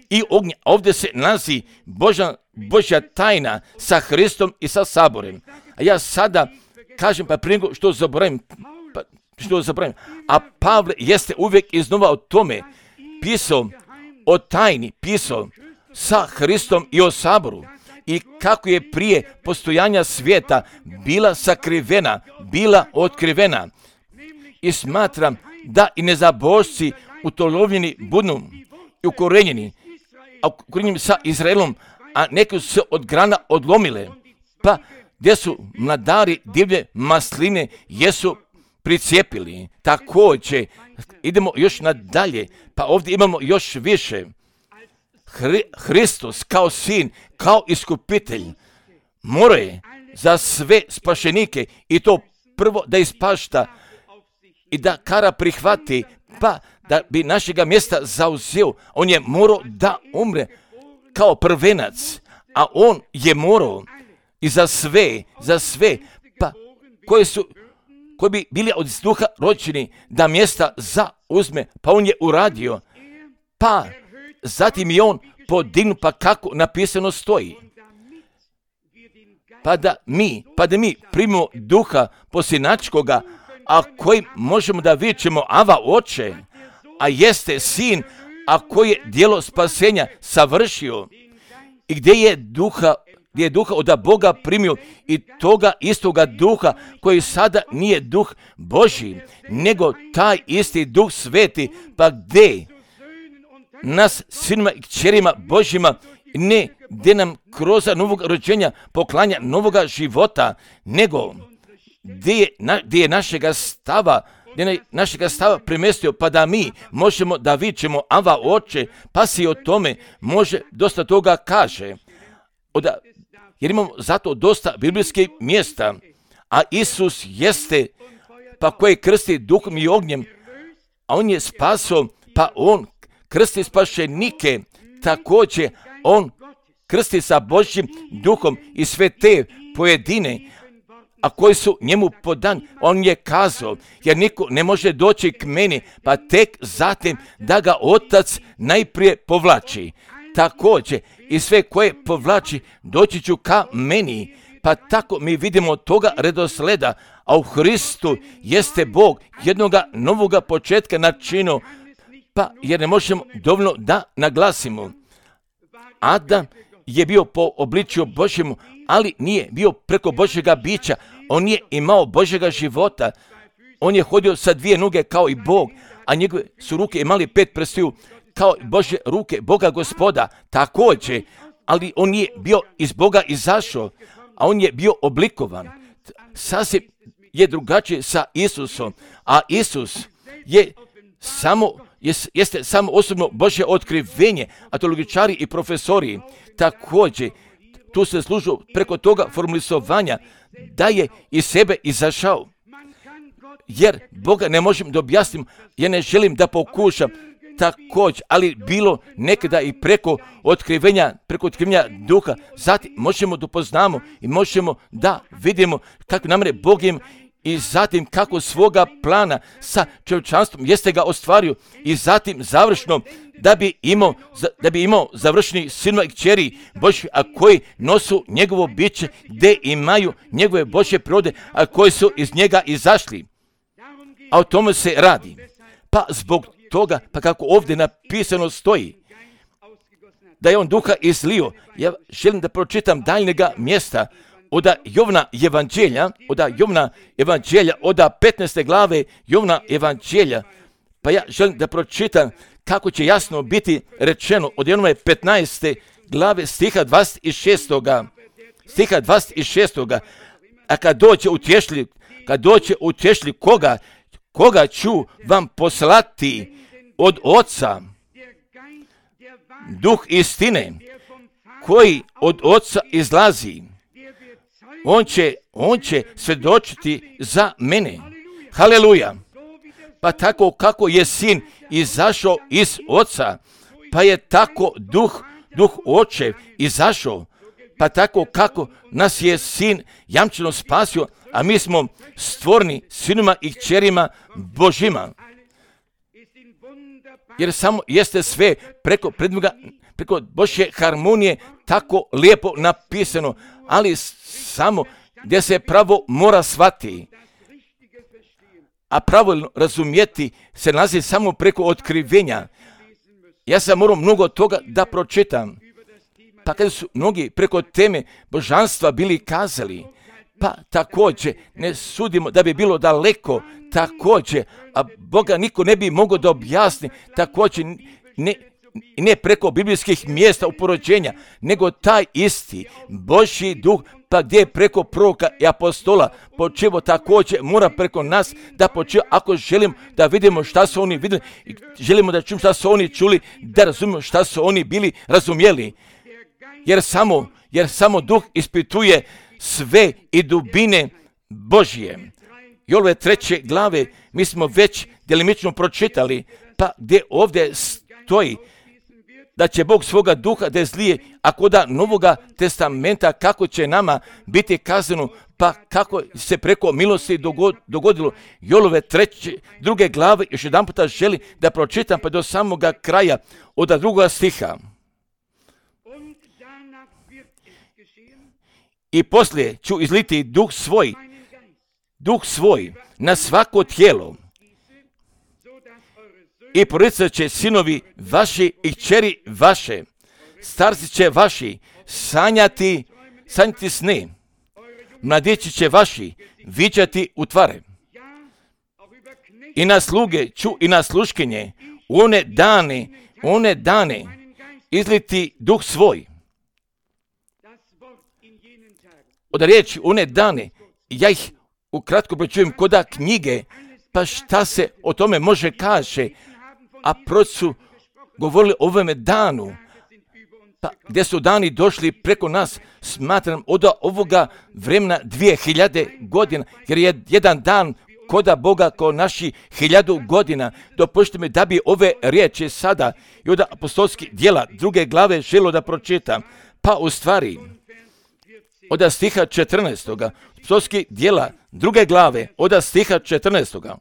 i ognja. Ovdje se nalazi Božja, Božja tajna sa Hristom i sa Saborem. A ja sada kažem, pa prije što zaboravim, pa što zaboravim, a Pavle jeste uvijek iznova o tome pisao, o tajni pisao sa Hristom i o Saboru. I kako je prije postojanja svijeta bila sakrivena, bila otkrivena. I smatram da i nezabožci utolovljeni budu i ukorenjeni, a ukorenjeni sa Izraelom, a neki su se od grana odlomile, pa gdje su mladari divlje masline jesu pricijepili. Također, idemo još nadalje, pa ovdje imamo još više. Hri, Hristos kao sin, kao iskupitelj, mora za sve spašenike i to prvo da ispašta i da kara prihvati, pa da bi našega mjesta zauzeo. On je morao da umre kao prvenac, a on je morao i za sve, za sve, pa koji su, koji bi bili od duha rođeni, da mjesta zauzme, pa on je uradio, pa zatim je on podignut, pa kako napisano stoji. Pa da mi, pa da mi primimo duha posljednačkoga, a kojim možemo da vičemo Ava Oče, a jeste sin, a koji je djelo spasenja savršio i gdje je duha, gdje je duha od Boga primio i toga istoga duha koji sada nije duh Božji, nego taj isti duh sveti, pa gdje nas sinima i kćerima Božjima ne gdje nam kroz novog rođenja poklanja novoga života, nego gdje je, na, gdje je našega stava, gdje je našega stava premestio, pa da mi možemo da vičemo Ava Oče, pa si o tome može dosta toga kaže. Oda, jer imamo zato dosta biblijskih mjesta, a Isus jeste, pa koji krsti duhom i ognjem, a on je spaso, pa on krsti spašenike, također on krsti sa Božjim duhom i sve te pojedine, a koji su njemu podan, on je kazao, jer niko ne može doći k meni, pa tek zatim da ga Otac najprije povlači. Također i sve koje povlači doći ću ka meni, pa tako mi vidimo toga redosleda, a u Hristu jeste Bog jednoga novoga početka načinu, pa jer ne možemo dovoljno da naglasimo. Adam je bio po obličju Božjemu, ali nije bio preko Božjega bića, on je imao Božjega života, on je hodio sa dvije noge kao i Bog, a njegove su ruke imali pet prstiju kao Božje ruke, Boga Gospoda, također, ali on nije bio iz Boga izašao, a on je bio oblikovan. Sasvim je drugačije sa Isusom, a Isus je samo, jeste samo osobno Božje otkrivenje, a teologičari i profesori također tu se služu preko toga formulisovanja da je iz sebe izašao. Jer Boga ne možem da objasnim, ja ne želim da pokušam također, ali bilo nekada i preko otkrivenja, preko otkrivenja duha, zatim možemo da poznamo i možemo da vidimo kako namre Bog im i zatim kako svoga plana sa čovječanstvom jeste ga ostvario i zatim završno da bi imao, da bi imao završni sinova i kćeri Božji, a koji nosu njegovo biće, gdje imaju njegove Božje prirode, a koji su iz njega izašli. A o tome se radi. Pa zbog toga, pa kako ovdje napisano stoji, da je on duha izlio, ja želim da pročitam daljnjega mjesta, oda Jovna evanđelja, oda Jovna evanđelja, oda petnaeste glave Jovna evanđelja, pa ja želim da pročitam kako će jasno biti rečeno od Jovnove petnaeste glave stiha dvadeset šest. Stiha dvadeset šest. A kad dođe utješli, kad dođe utješli koga, koga ću vam poslati od Oca, duh istine, koji od Oca izlazi, on će, on će svjedočiti za mene. Haleluja! Pa tako kako je sin izašao iz Oca, pa je tako duh, duh Očev izašao, pa tako kako nas je sin jamčeno spasio, a mi smo stvorni sinima i kćerima Božjima. Jer samo jeste sve preko predmoga, preko Božje harmonije tako lijepo napisano, ali samo gdje se pravo mora shvatiti. A pravilno razumjeti se nalazi samo preko otkrivenja. Ja sam morao mnogo toga da pročitam. Pa kada su mnogi preko teme božanstva bili kazali, pa također ne sudimo da bi bilo daleko, također, a Boga niko ne bi mogao da objasni, također ne, i ne preko biblijskih mjesta uporođenja, nego taj isti Božji duh, pa gdje je preko proroka i apostola počeo također mora preko nas da počeo, ako želimo da vidimo šta su oni vidjeli, želimo da čujemo šta su oni čuli, da razumijemo šta su oni bili razumjeli. Jer samo, jer samo duh ispituje sve i dubine Božje. I ove treće glave mi smo već delimično pročitali, pa gdje ovdje stoji da će Bog svoga duha da zlije, ako da Novoga testamenta kako će nama biti kazano, pa kako se preko milosti dogodilo. I ove treće, druge glave još jedan puta želim da pročitam pa do samoga kraja od drugoga stiha. I poslije ću izliti duh svoj, duh svoj na svako tijelo i proricat će sinovi vaši i kćeri vaše, starci će vaši sanjati, sanjati sne, mladići će vaši viđati utvare. I na sluge ću i na sluškinje one dane, one dane izliti duh svoj. Od riječi one dane, ja ih ukratko pročujem koda knjige, pa šta se o tome može kaže, a proč su govorili o ovome danu, pa gdje su dani došli preko nas, smatram od ovoga vremena dvije hiljade godina, jer je jedan dan koda Boga kao naši hiljadu godina. Dopustite mi da bi ove riječi sada i od apostolskih djela druge glave želo da pročitam, pa u stvari od stiha četrnaestoga, apostolskih djela druge glave od stiha četrnaestoga.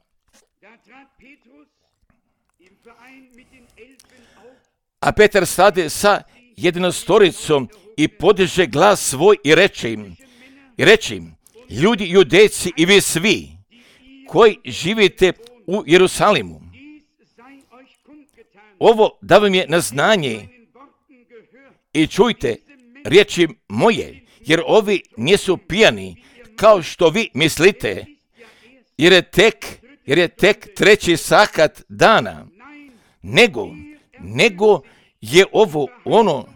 A Petar stade sa jednostoricom i podiže glas svoj i reče im, i reče im, ljudi judejci i vi svi koji živite u Jerusalimu, ovo da vam je na znanje i čujte riječi moje, jer ovi nisu pijani kao što vi mislite, jer je tek, jer je tek treći sahat dana, nego, nego je ovo ono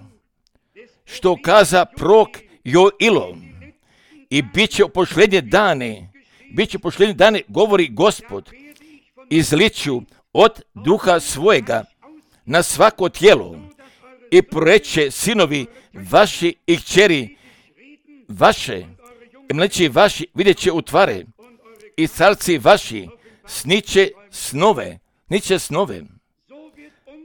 što kaza prorok Joilo, i bit će u posljednje dane, bit će u posljednje dane, govori Gospod, izliću od duha svojega na svako tijelo i proreće sinovi vaši i kćeri vaše, i mleči vaši vidjet će utvare, i starci vaši sniće snove, niće snove.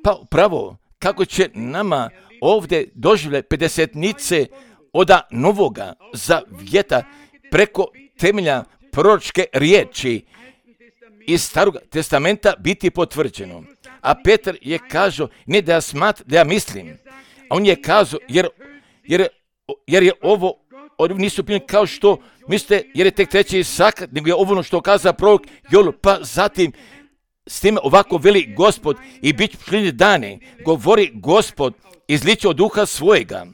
Pa upravo kako će nama ovdje doživlje pedesetnice oda novoga zavjeta preko temelja proročke riječi iz Starog testamenta biti potvrđeno. A Petar je kazao, ne da ja smat, da ja mislim, a on je kazao, jer, jer, jer je ovo, oni nisu bili kao što mislite, jer je tek treći sakat, nego je ovo ono što kaza prorok Joilo, pa zatim s time ovako veli Gospod, i bit će posljednje dane, govori Gospod, izliće od duha svojega.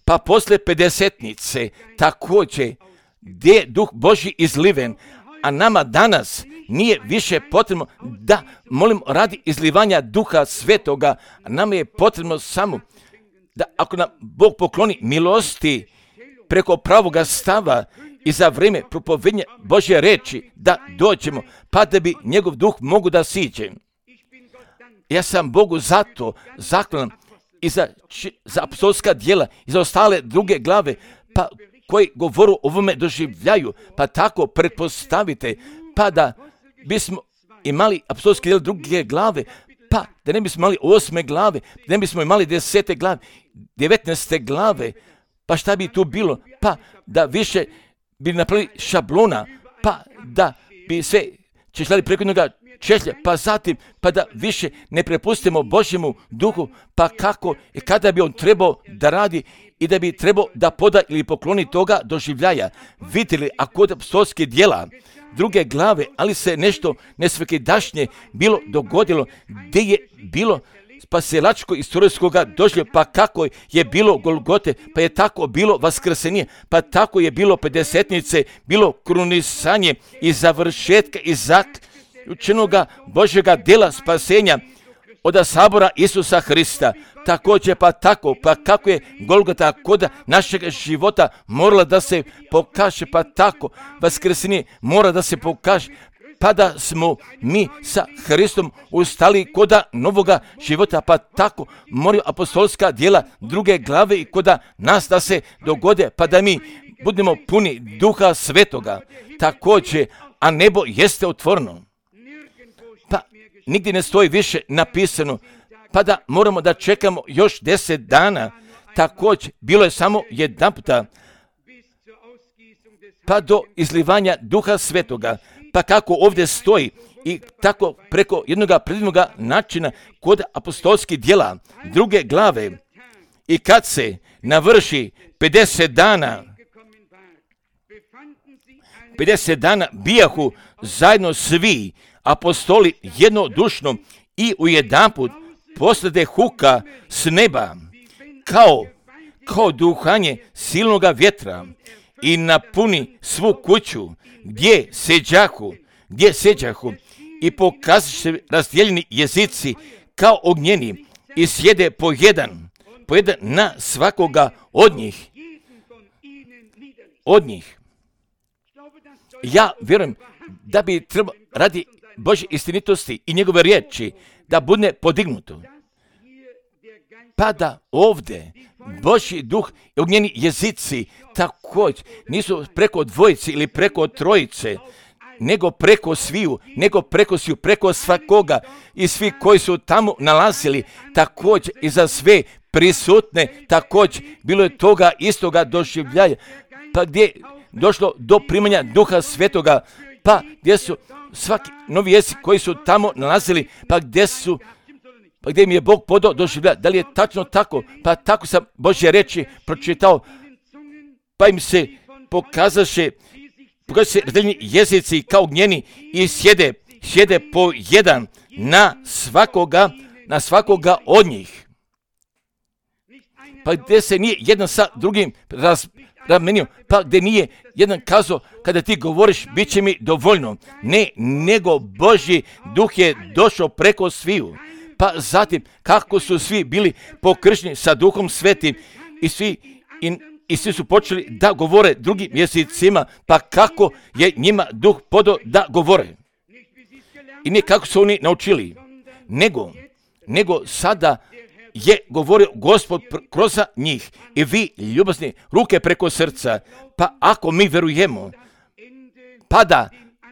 Pa posle pedesetnice također, gdje je duh Božji izliven, a nama danas nije više potrebno da molimo radi izlivanja duha svetoga, a nama je potrebno samo da ako nam Bog pokloni milosti preko pravoga stava i za vrijeme propovednja Božje reči da dođemo, pa da bi njegov duh mogu da siđe. Ja sam Bogu zato zahvalan i za, za apostolska djela i za ostale druge glave, pa koji govoru o ovome doživljaju, pa tako pretpostavite, pa da bismo imali apostolske djela druge glave, pa da ne bismo imali osme glave, da ne bismo imali desete glave, devetnaeste glave, pa šta bi tu bilo? Pa da više bi napravili šablona, pa da bi sve češljali preko jednoga češlja, pa zatim, pa da više ne prepustimo Božjemu duhu, pa kako i kada bi on trebao da radi i da bi trebao da poda ili pokloni toga doživljaja. Vidjeli, a kod apostolskih djela druge glave, ali se nešto nesvakidašnje bilo dogodilo, gdje je bilo spasilačko istorijskog doživljaja, pa kako je bilo Golgote, pa je tako bilo vaskrsenje, pa tako je bilo pedesetnice, bilo krunisanje i završetka i zaključenoga Božjega djela spasenja od sabora Isusa Hrista. Također pa tako, pa kako je Golgota kod našeg života morala da se pokaže, pa tako Vaskresenje mora da se pokaže, pa da smo mi sa Hristom ustali koda novoga života, pa tako moraju apostolska djela druge glave i koda nas da se dogode, pa da mi budemo puni Duha Svetoga. Također, a nebo jeste otvoreno. Pa nigdje ne stoji više napisano, pa da moramo da čekamo još deset dana. Također, bilo je samo jedan puta, pa do izlivanja Duha Svetoga. Pa kako ovdje stoji i tako preko jednoga predivnoga načina kod apostolskih djela druge glave. I kad se navrši pedeset dana, pedeset dana bijahu zajedno svi apostoli jednodušno i ujedanput poslede huka s neba, kao, kao duhanje silnoga vjetra i napuni svu kuću gdje seđahu, gdje seđahu i pokazat se razdijeljeni jezici kao ognjeni i sjede po jedan, po jedan na svakoga od njih, od njih. Ja vjerujem da bi trebalo radi Božje istinitosti i njegove riječi da bude podignuto. Pa da ovdje Božji duh i ognjeni jezici također nisu preko dvojice ili preko trojice, nego preko sviju, nego preko sviju, preko svakoga i svi koji su tamo nalazili, također i za sve prisutne, također bilo je toga istoga doživljaja, pa gdje je došlo do primanja Duha Svetoga, pa gdje su svaki novi jezik koji su tamo nalazili, pa gdje su, pa gdje mi je Bog podao doživljaja. Da li je tačno tako? Pa tako sam Božje reči pročitao, pa im se pokazaše, pokazaše razdeljeni jezici kao ognjeni i sjede, sjede po jedan na svakoga, na svakoga od njih. Pa gdje se nije jedan sa drugim raz, ramenio, pa gdje nije jedan kazao, kada ti govoriš, bit će mi dovoljno. Ne, nego Božji duh je došao preko sviju. Pa zatim, kako su svi bili pokršteni sa Duhom Svetim i svi, i, i svi su počeli da govore drugim jezicima, pa kako je njima Duh podao da govore. I ne kako su oni naučili, nego, nego sada je govorio Gospod kroz njih i vi ljubazni ruke preko srca, pa ako mi verujemo, pa da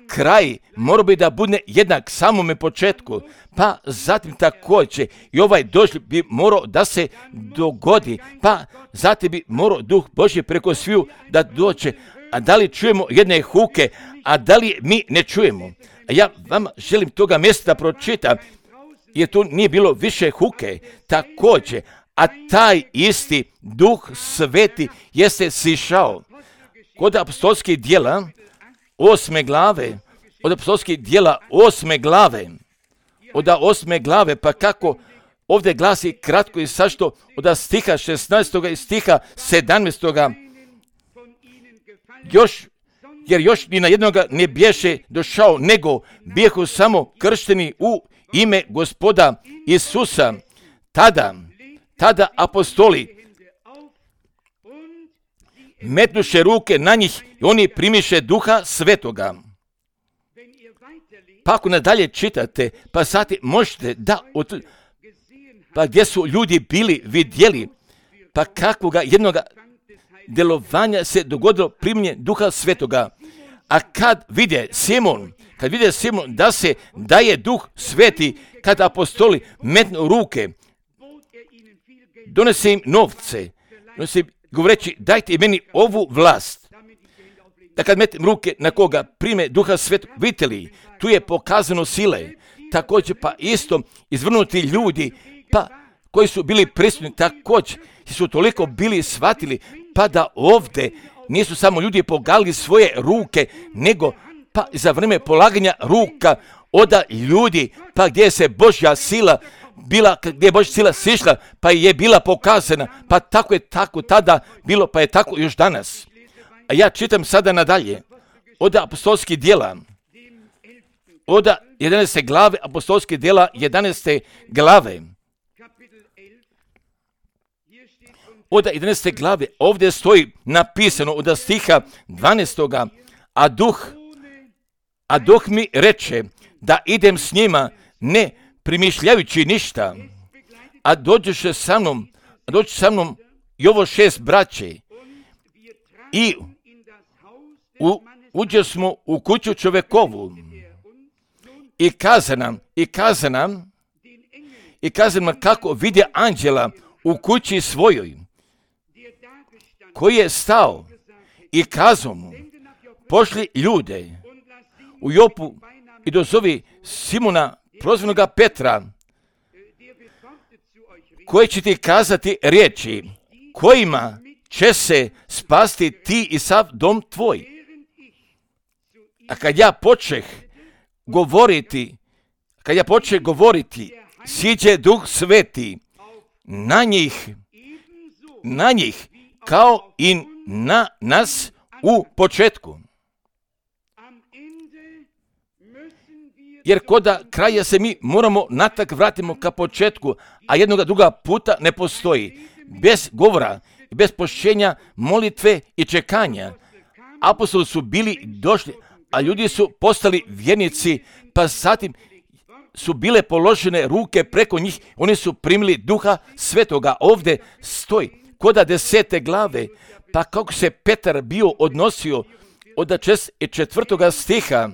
kraj mora bi da bude jednak samome početku, pa zatim također i ovaj doživljaj bi morao da se dogodi, pa zatim bi morao Duh Božji preko sviju da dođe. A da li čujemo jedne huke, a da li mi ne čujemo? A ja vama želim toga mjesta pročitam, jer tu nije bilo više huke, također, a taj isti Duh Sveti jeste sišao kod apostolskih djela osme glave, od apostolskih djela osme glave, od osme glave, pa kako ovdje glasi kratko i sašto od stiha šesnaestog i stiha sedamnaestog još, jer još ni na jednoga ne bješe došao, nego bijehu samo kršteni u ime Gospoda Isusa. Tada, tada apostoli metnuše ruke na njih i oni primiše Duha Svetoga. Pa ako nadalje čitate, pa sad možete da, od, pa gdje su ljudi bili, vidjeli, pa kakvoga jednoga djelovanja se dogodilo primjenje Duha Svetoga. A kad vide Simon, kad vide Simon da se daje Duh Sveti, kad apostoli metnu ruke, donese im novce, donese im govoreći dajte meni ovu vlast. Da kad metem ruke na koga prime Duha Svetog, vidite li, tu je pokazano sile. Također pa isto izvrnuti ljudi, pa koji su bili prisutni, također su toliko bili shvatili, pa da ovdje nisu samo ljudi pogali svoje ruke, nego pa za vrijeme polaganja ruka oda ljudi, pa gdje se Božja sila bila, gdje je Božja sila sišla, pa je bila pokazana, pa tako je tako tada bilo, pa je tako još danas. A ja čitam sada nadalje od apostolskih djela, od jedanaeste glave apostolske djela, jedanaeste glave. Od jedanaeste glave ovdje stoji napisano od stiha dvanaestoga. A duh, a duh mi reče da idem s njima ne primišljajući ništa, a dođeše sa mnom, a dođe sa mnom i ovo šest braće i u, uđe smo u kuću čovekovu i kaza nam, i kaza nam, i kaza nam kako vidje anđela u kući svojoj, koji je stao i kazao mu, pošli ljude u Jopu i dozovi Simona, prozvanoga Petra, koji će ti kazati riječi, kojima će se spasti ti i sav dom tvoj. A kad ja počeh govoriti, kad ja počeh govoriti, siđe Duh Sveti na njih, na njih, kao i na nas u početku. Jer koda kraja se mi moramo natak vratimo ka početku, a jednoga druga puta ne postoji. Bez govora, bez pošćenja, molitve i čekanja. Apostoli su bili došli, a ljudi su postali vjernici, pa zatim su bile položene ruke preko njih, oni su primili Duha Svetoga. Ovdje stoji, koda desete glave, pa kako se Petar bio odnosio od četvrtoga stiha,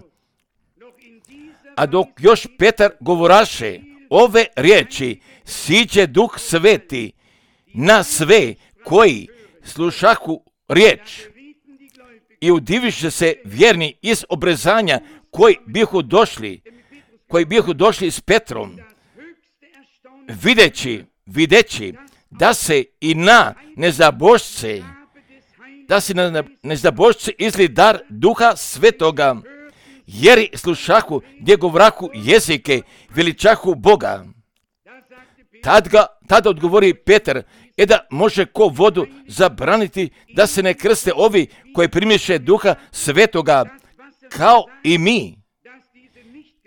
a dok još Petar govoraše ove riječi, siđe Duh Sveti na sve koji slušahu riječ i udiviše se vjerni iz obrezanja koji bihu došli, koji bihu došli s Petrom, videći, videći da se i na nezabožce, da se na nezabožce izli dar Duha Svetoga, jer slušahu gdje govrahu jezike, veličahu Boga. Tad ga, tada odgovori Petar, e da može ko vodu zabraniti da se ne krste ovi koji primiše Duha Svetoga, kao i mi,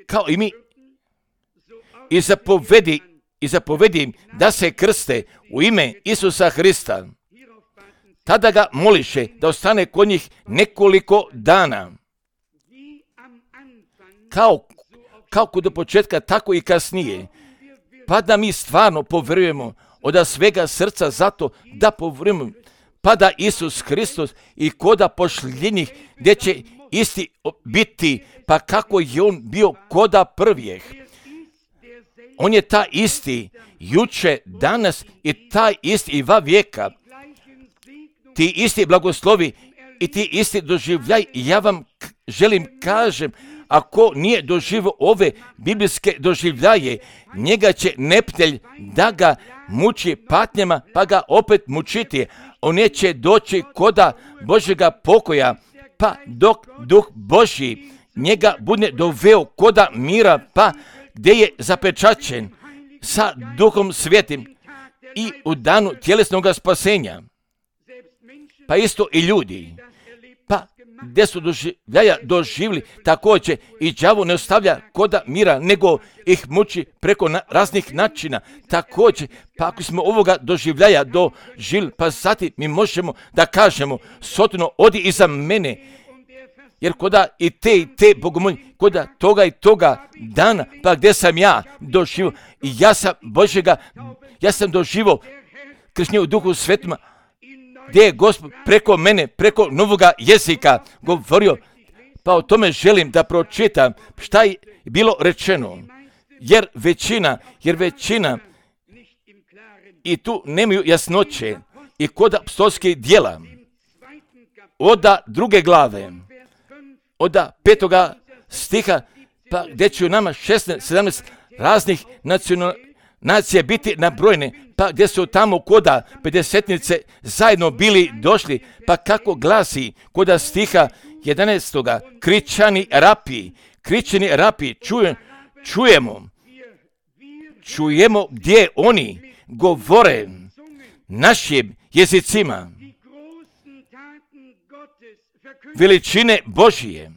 kao i mi, i zapovedi, i zapovedi im da se krste u ime Isusa Hrista. Tada ga moliše da ostane kod njih nekoliko dana. Kao, kao kod do početka, tako i kasnije. Pa da mi stvarno povjerujemo od svega srca zato da povjerujemo, pa da Isus Hristos i koda pošljenih gdje će isti biti, pa kako je on bio koda prvijeh. On je ta isti juče, danas i taj isti i va vijeka. Ti isti blagoslovi i ti isti doživljaj. Ja vam želim kažem, ako nije doživio ove biblijske doživljaje, njega će neptelj da ga muči patnjama, pa ga opet mučiti. On neće doći koda Božjega pokoja, pa dok Duh Božji njega bude doveo koda mira, pa gdje je zapečaćen sa Duhom Svetim i u danu tjelesnog spasenja. Pa isto i ljudi, pa gdje su doživljaja doživli, također i đavo ne ostavlja koda mira, nego ih muči preko na, raznih načina. Također, pa ako smo ovoga doživljaja doživli, pa zatim mi možemo da kažemo, Sotino, odi iza mene, jer koda i te i te bogomolje, koda toga i toga dana, pa gdje sam ja doživio, i ja sam Božjega, ja sam doživio kršenje u Duhu Svetima, gdje je Gospod preko mene, preko novoga jezika govorio, pa o tome želim da pročitam šta je bilo rečeno, jer većina, jer većina i tu nemaju jasnoće i kod apostolskih djela, od druge glave, od petoga stiha, pa gdje će u nama šesnaest sedamnaest raznih nacional, nacije biti nabrojene, pa gdje su tamo koda pedesetnice zajedno bili došli, pa kako glasi koda stiha jedanaestoga, kričani rapi, kričani rapi, čuje, čujemo, čujemo gdje oni govore našim jezicima veličine Božije.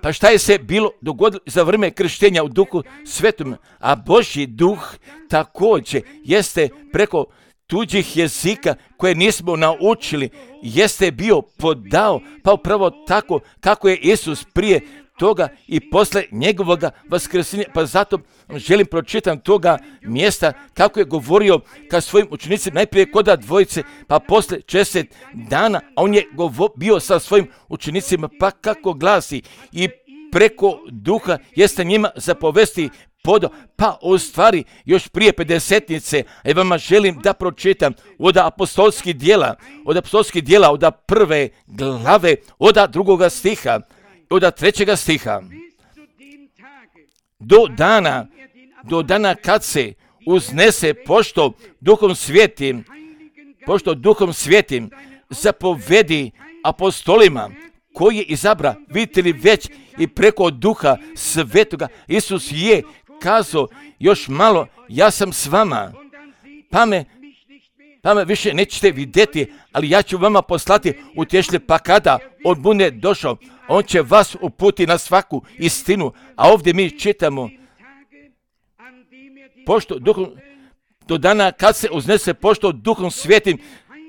Pa šta je se bilo dogodilo za vrijeme krštenja u Duhu Svetom? A Božji duh također jeste preko tuđih jezika koje nismo naučili, jeste bio podao, pa upravo tako kako je Isus prije toga i posle njegovoga vaskrsenja. Pa zato želim pročitam toga mjesta kako je govorio ka svojim učenicima, najprije koda dvojice, pa posle šezdeset dana, a on je govo, bio sa svojim učenicima, pa kako glasi, i preko duha jeste njima zapovesti podao, pa u stvari još prije pedesetnice, a vama želim da pročitam od apostolskih dijela, od apostolskih dijela, od prve glave, od drugoga stiha, od trećega stiha, do dana, do dana kad se uznese, pošto duhom svijetim, pošto duhom svijetim zapovedi apostolima koji je izabra, vidite li već i preko duha svetoga, Isus je kazao, još malo, ja sam s vama, pa me, pa me više nećete vidjeti, ali ja ću vama poslati utješitelja, pa kada on bude došao, on će vas uputi na svaku istinu. A ovdje mi čitamo, pošto duhom, do dana kad se uznese, pošto duhom svijetim,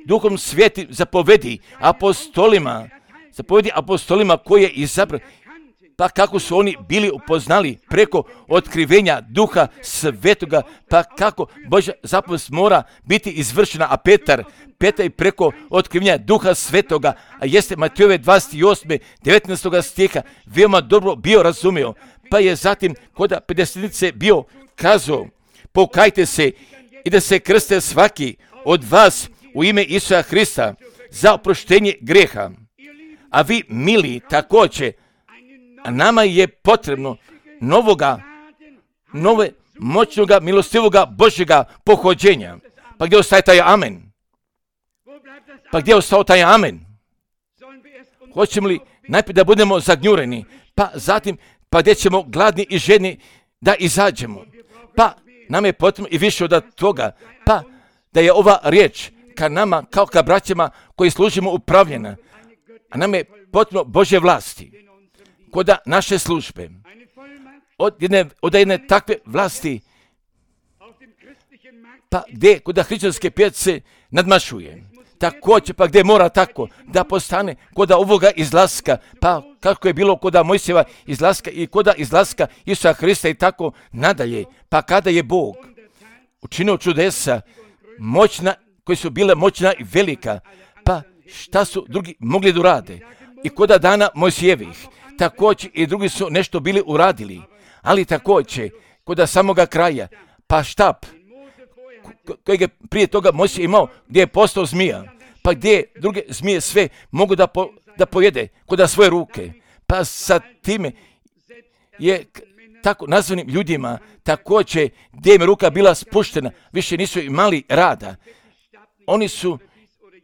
duhom svijetim zapovedi apostolima, zapovedi apostolima koje je izabrao, pa kako su oni bili upoznali preko otkrivenja duha svetoga, pa kako Božja zapovest mora biti izvršena, a Petar, Petar i preko otkrivenja duha svetoga, a jeste Matejove dvadeset osme devetnaestog stiha, veoma dobro bio razumio, pa je zatim kod pedesetnice bio kazao, pokajte se i da se krste svaki od vas u ime Isusa Hrista za oproštenje greha. A vi, mili, također, a nama je potrebno novoga, nove, moćnoga, milostivoga Božjega pohođenja. Pa gdje ostaje taj amen? Pa gdje je ostao taj amen? Hoćemo li najprije da budemo zagnjureni, pa zatim, pa gdje ćemo gladni i žedni da izađemo? Pa nam je potrebno i više od toga, pa da je ova riječ ka nama, kao ka braćama koji služimo, upravljena. A nam je potrebno Božje vlasti kod naše službe. Od jedne, od jedne takve vlasti, pa gdje kod hrišćanske pijace nadmašuje. Također, pa gdje mora tako da postane kod ovoga izlaska, pa kako je bilo kod Mojsijeva izlaska i kod izlaska Isusa Hrista i tako nadalje. Pa kada je Bog učinio čudesa, moćna, koji su bile moćna i velika, pa šta su drugi mogli da urade? I kod dana Mojsijevih, također i drugi su nešto bili uradili, ali također kod samoga kraja, pa štap kojeg je prije toga Mojsije imao, gdje je postao zmija, pa gdje druge zmije sve mogu da, po, da pojede kod svoje ruke, pa sa time je tako nazvanim ljudima također gdje im je ruka bila spuštena, više nisu imali rada, oni su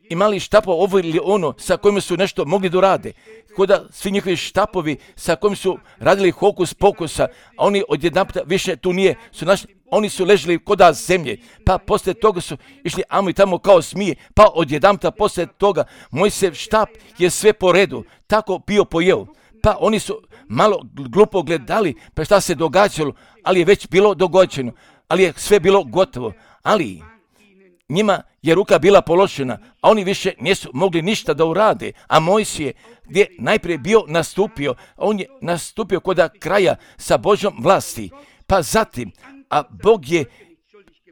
imali štapova ovo ili ono sa kojima su nešto mogli da rade. Koda svi njihovi štapovi sa kojim su radili hokus pokusa, a oni odjedanputa više tu nije, su našli, oni su ležali koda zemlje, pa poslije toga su išli amo i tamo kao smije, pa odjedanputa poslije toga Mojsijev štap je sve po redu, tako bio pojeo. Pa oni su malo glupo gledali, pa šta se događalo, ali je već bilo dogođeno, ali je sve bilo gotovo, ali njima je ruka bila položena, a oni više nisu mogli ništa da urade, a Mojsije gdje najprije bio nastupio, on je nastupio kod kraja sa Božjom vlasti, pa zatim, a Bog je,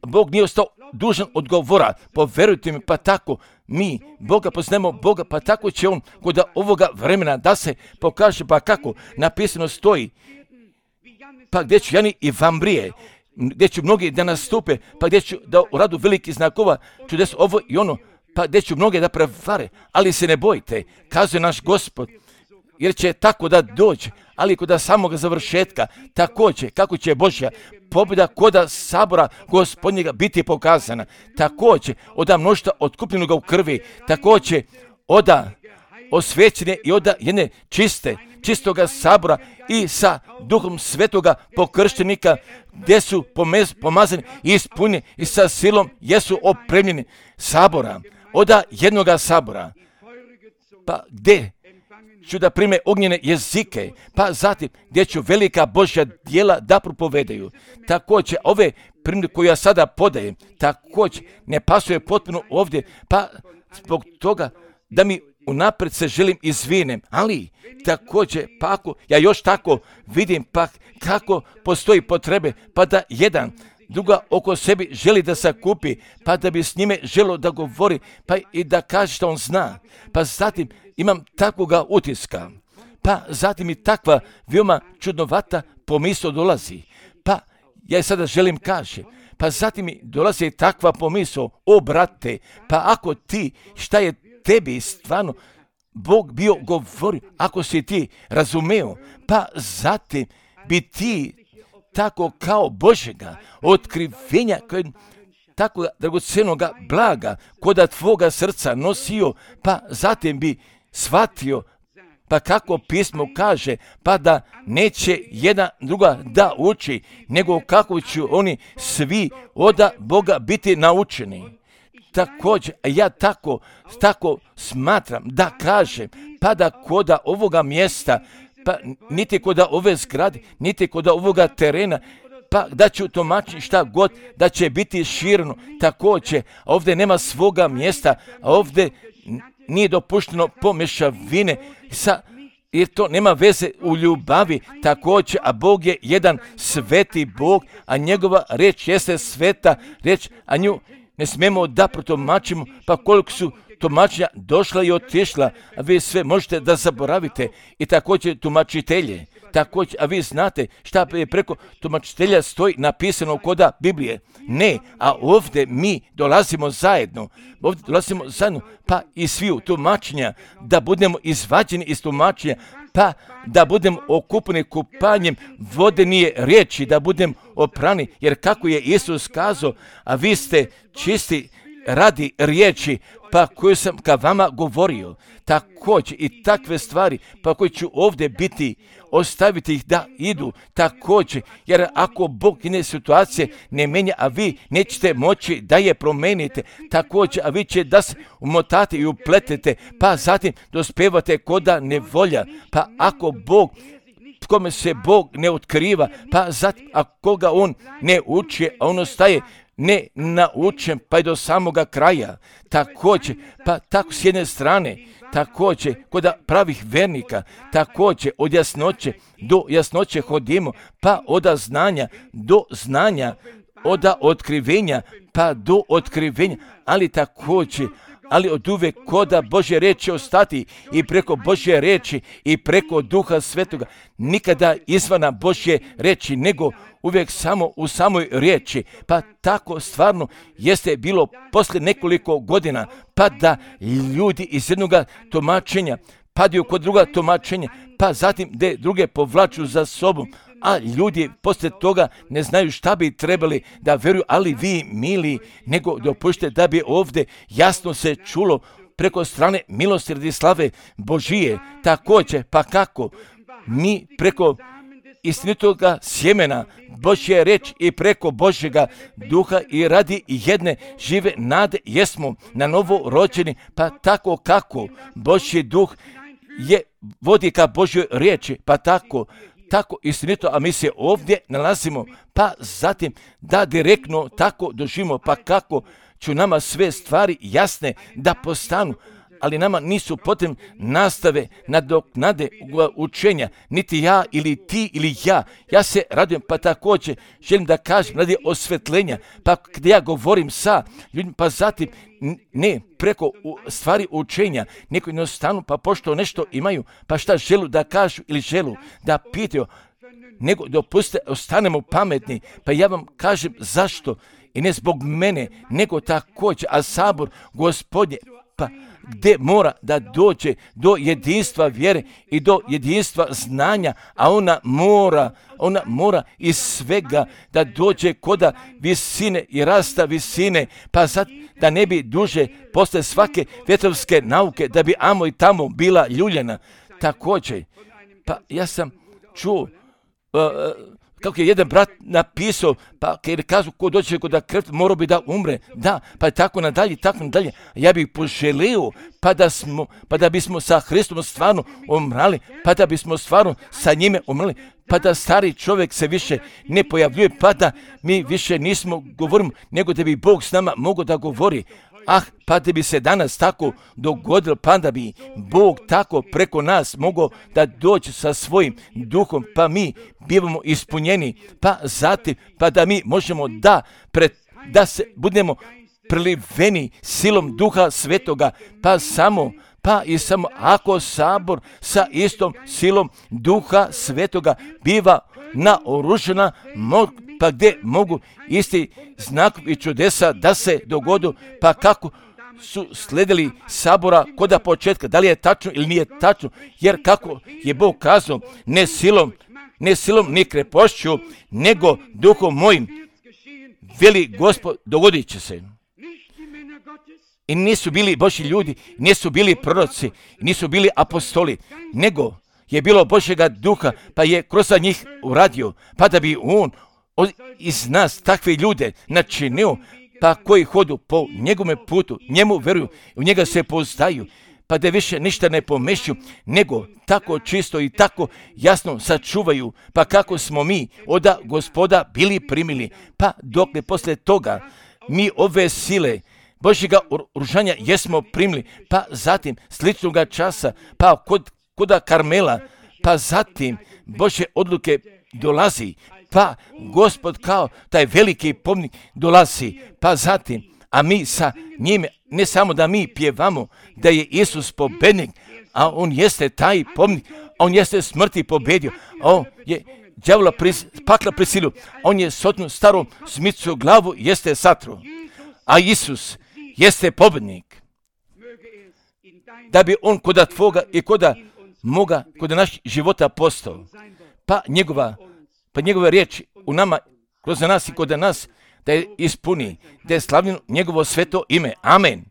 Bog nije ostao dužan odgovora, poverujte mi, pa tako mi Boga poznajemo Boga, pa tako će on kod ovoga vremena da se pokaže, pa kako napisano stoji, pa gdje ću Jani i Vambrije, gdje ću mnogi da nastupe, pa gdje ću da uradu veliki znakova, čudes ovo i ono, pa gdje ću mnoge da prevare, ali se ne bojte, kazuje naš Gospod, jer će tako da dođe, ali kod samog završetka, također, kako će Božja pobjeda kod sabora Gospodnjega biti pokazana, također, oda mnoštva otkupljenog u krvi, također, oda osvećene i oda jedne čiste, čistoga sabora i sa duhom svetoga pokrštenika, gdje su pomez, pomazani i ispunjeni i sa silom jesu opremljeni sabora, oda jednoga sabora, pa gdje ću da prime ognjene jezike, pa zatim gdje ću velika Božja djela da propovedaju. Također, ove primjere koje ja sada podajem, također ne pasuje potpuno ovdje, pa zbog toga da mi unaprijed se želim izvinem, ali također, pa ako ja još tako vidim, pa kako postoji potrebe, pa da jedan druga oko sebi želi da se kupi, pa da bi s njime želo da govori, pa i da kaže što on zna. Pa zatim imam takvoga utiska, pa zatim i takva veoma čudnovata pomisao dolazi. Pa ja sada želim kaže, pa zatim mi dolazi takva pomisao, o brate, pa ako ti, šta je tebi stvarno Bog bio govorio, ako si ti razumeo, pa zatim bi ti tako kao Božjega otkrivenja, tako dragocenoga blaga, koda tvoga srca nosio, pa zatim bi shvatio, pa kako pismo kaže, pa da neće jedna druga da uči, nego kako će oni svi od Boga biti naučeni. Također, ja tako, tako smatram da kažem, pa da koda ovoga mjesta, pa niti koda ove zgrade, niti koda ovoga terena, pa da ću tumačiti šta god, da će biti šireno. Također, ovdje nema svoga mjesta, a ovdje nije dopušteno pomješavine, sa, jer to nema veze u ljubavi. Također, a Bog je jedan sveti Bog, a njegova riječ jeste sveta riječ, a nju ne smijemo da protumačimo, pa koliko su tumačenja došla i otišla, a vi sve možete da zaboravite, i također tumačitelje. Također, a vi znate šta je preko tumačitelja stoji napisano koda Biblije. Ne, a ovdje mi dolazimo zajedno, ovdje dolazimo zajedno, pa i svi u tumačenja, da budemo izvađeni iz tumačenja, pa da budemo okupani kupanjem vodenije riječi, da budemo oprani, jer kako je Isus kazao, a vi ste čisti radi riječi, pa koju sam ka vama govorio. Također i takve stvari, pa koji ću ovdje biti, ostaviti ih da idu također, jer ako Bog ine situacije ne menja, a vi nećete moći da je promenite, također, a vi će da se umotate i upletete, pa zatim dospevate koda nevolja, pa ako Bog, kome se Bog ne otkriva, pa zatim ako ga on ne uči, a on ostaje ne naučen pa i do samoga kraja. Također, pa tako s jedne strane, također kod pravih vernika, također od jasnoće do jasnoće hodimo, pa od znanja do znanja, od otkrivenja pa do otkrivenja, ali također, ali od uvek koda Božje riječi ostati i preko Božje riječi i preko Duha Svetoga, nikada izvana Božje riječi, nego uvijek samo u samoj riječi. Pa tako stvarno jeste bilo poslije nekoliko godina, pa da ljudi iz jednog tumačenja padaju kod druga tumačenja, pa zatim de druge povlaču za sobom, a ljudi poslije toga ne znaju šta bi trebali da vjeruju, ali vi, mili, nego dopušte da bi ovdje jasno se čulo preko strane milosrdi slave Božije. Također, pa kako mi preko istinitoga sjemena Božje reč i preko Božjega duha i radi jedne žive nade jesmo na novo rođeni, pa tako kako Božji duh je vodi ka Božjoj riječi, pa tako tako istinito, a mi se ovdje nalazimo, pa zatim da direktno tako doživimo, pa kako ću nama sve stvari jasne da postanu, ali nama nisu potrebne nastave nadoknade učenja, niti ja ili ti ili ja. Ja se radujem, pa također želim da kažem radi osvetljenja, pa gdje ja govorim sa ljudima, pa zatim ne preko stvari učenja, neko jednostavno, pa pošto nešto imaju, pa šta želu da kažu ili želu da pitaju, nego dopustite, ostanemo pametni, pa ja vam kažem zašto, i ne zbog mene, nego također, a sabor Gospodnje, pa gdje mora da dođe do jedinstva vjere i do jedinstva znanja, a ona mora, ona mora iz svega da dođe koda visine i rasta visine, pa sad da ne bi duže posle svake vjetrovske nauke, da bi amo i tamo bila ljuljena. Također, pa ja sam čuo, uh, kako je jedan brat napisao, pa kad kažu ko dođe kod da krv, morao bi da umre. Da, pa je tako nadalje, tako nadalje. Ja bih poželio, pa da, smo, pa da bismo sa Hristom stvarno umrali, pa da bismo stvarno sa njime umrli, pa da stari čovjek se više ne pojavljuje, pa da mi više nismo govorimo, nego da bi Bog s nama mogao da govori. Ah, pa da bi se danas tako dogodilo, pa da bi Bog tako preko nas mogao da dođe sa svojim duhom, pa mi bivamo ispunjeni, pa zatim, pa da mi možemo da, pred, da se budemo preliveni silom Duha Svetoga, pa samo, pa i samo ako sabor sa istom silom Duha Svetoga biva naoružana, pa gdje mogu isti znakovi i čudesa da se dogodu, pa kako su sledili sabora koda početka, da li je tačno ili nije tačno, jer kako je Bog kazao, ne silom, ne silom ni krepošću, nego duhom mojim, veli Gospod, dogodit će se. I nisu bili Božji ljudi, nisu bili proroci, nisu bili apostoli, nego je bilo Božjega duha, pa je kroz njih uradio, pa da bi on iz nas takve ljude načinio, pa koji hodu po njegovome putu, njemu veruju, u njega se poznaju, pa da više ništa ne pomešaju, nego tako čisto i tako jasno sačuvaju, pa kako smo mi od Gospoda bili primili, pa dok ne posle toga mi ove sile Božjega oružanja jesmo primili, pa zatim sličnoga časa, pa kod, koda Karmela, pa zatim Božje odluke dolazi, pa Gospod kao taj veliki pomnik dolazi, pa zatim, a mi sa njime, ne samo da mi pjevamo da je Isus pobednik, a on jeste taj pomnik, on jeste smrti pobedio, on je đavola pris, pakla prisilio, on je sotnu starom smicu glavu jeste satru, a Isus jeste pobednik. Da bi on koda tvoga i koda moga, koda naš života postao, pa njegova, pa njegova riječ u nama, kroz nas i koda nas, da je ispuni, da je slavljeno njegovo sveto ime. Amen.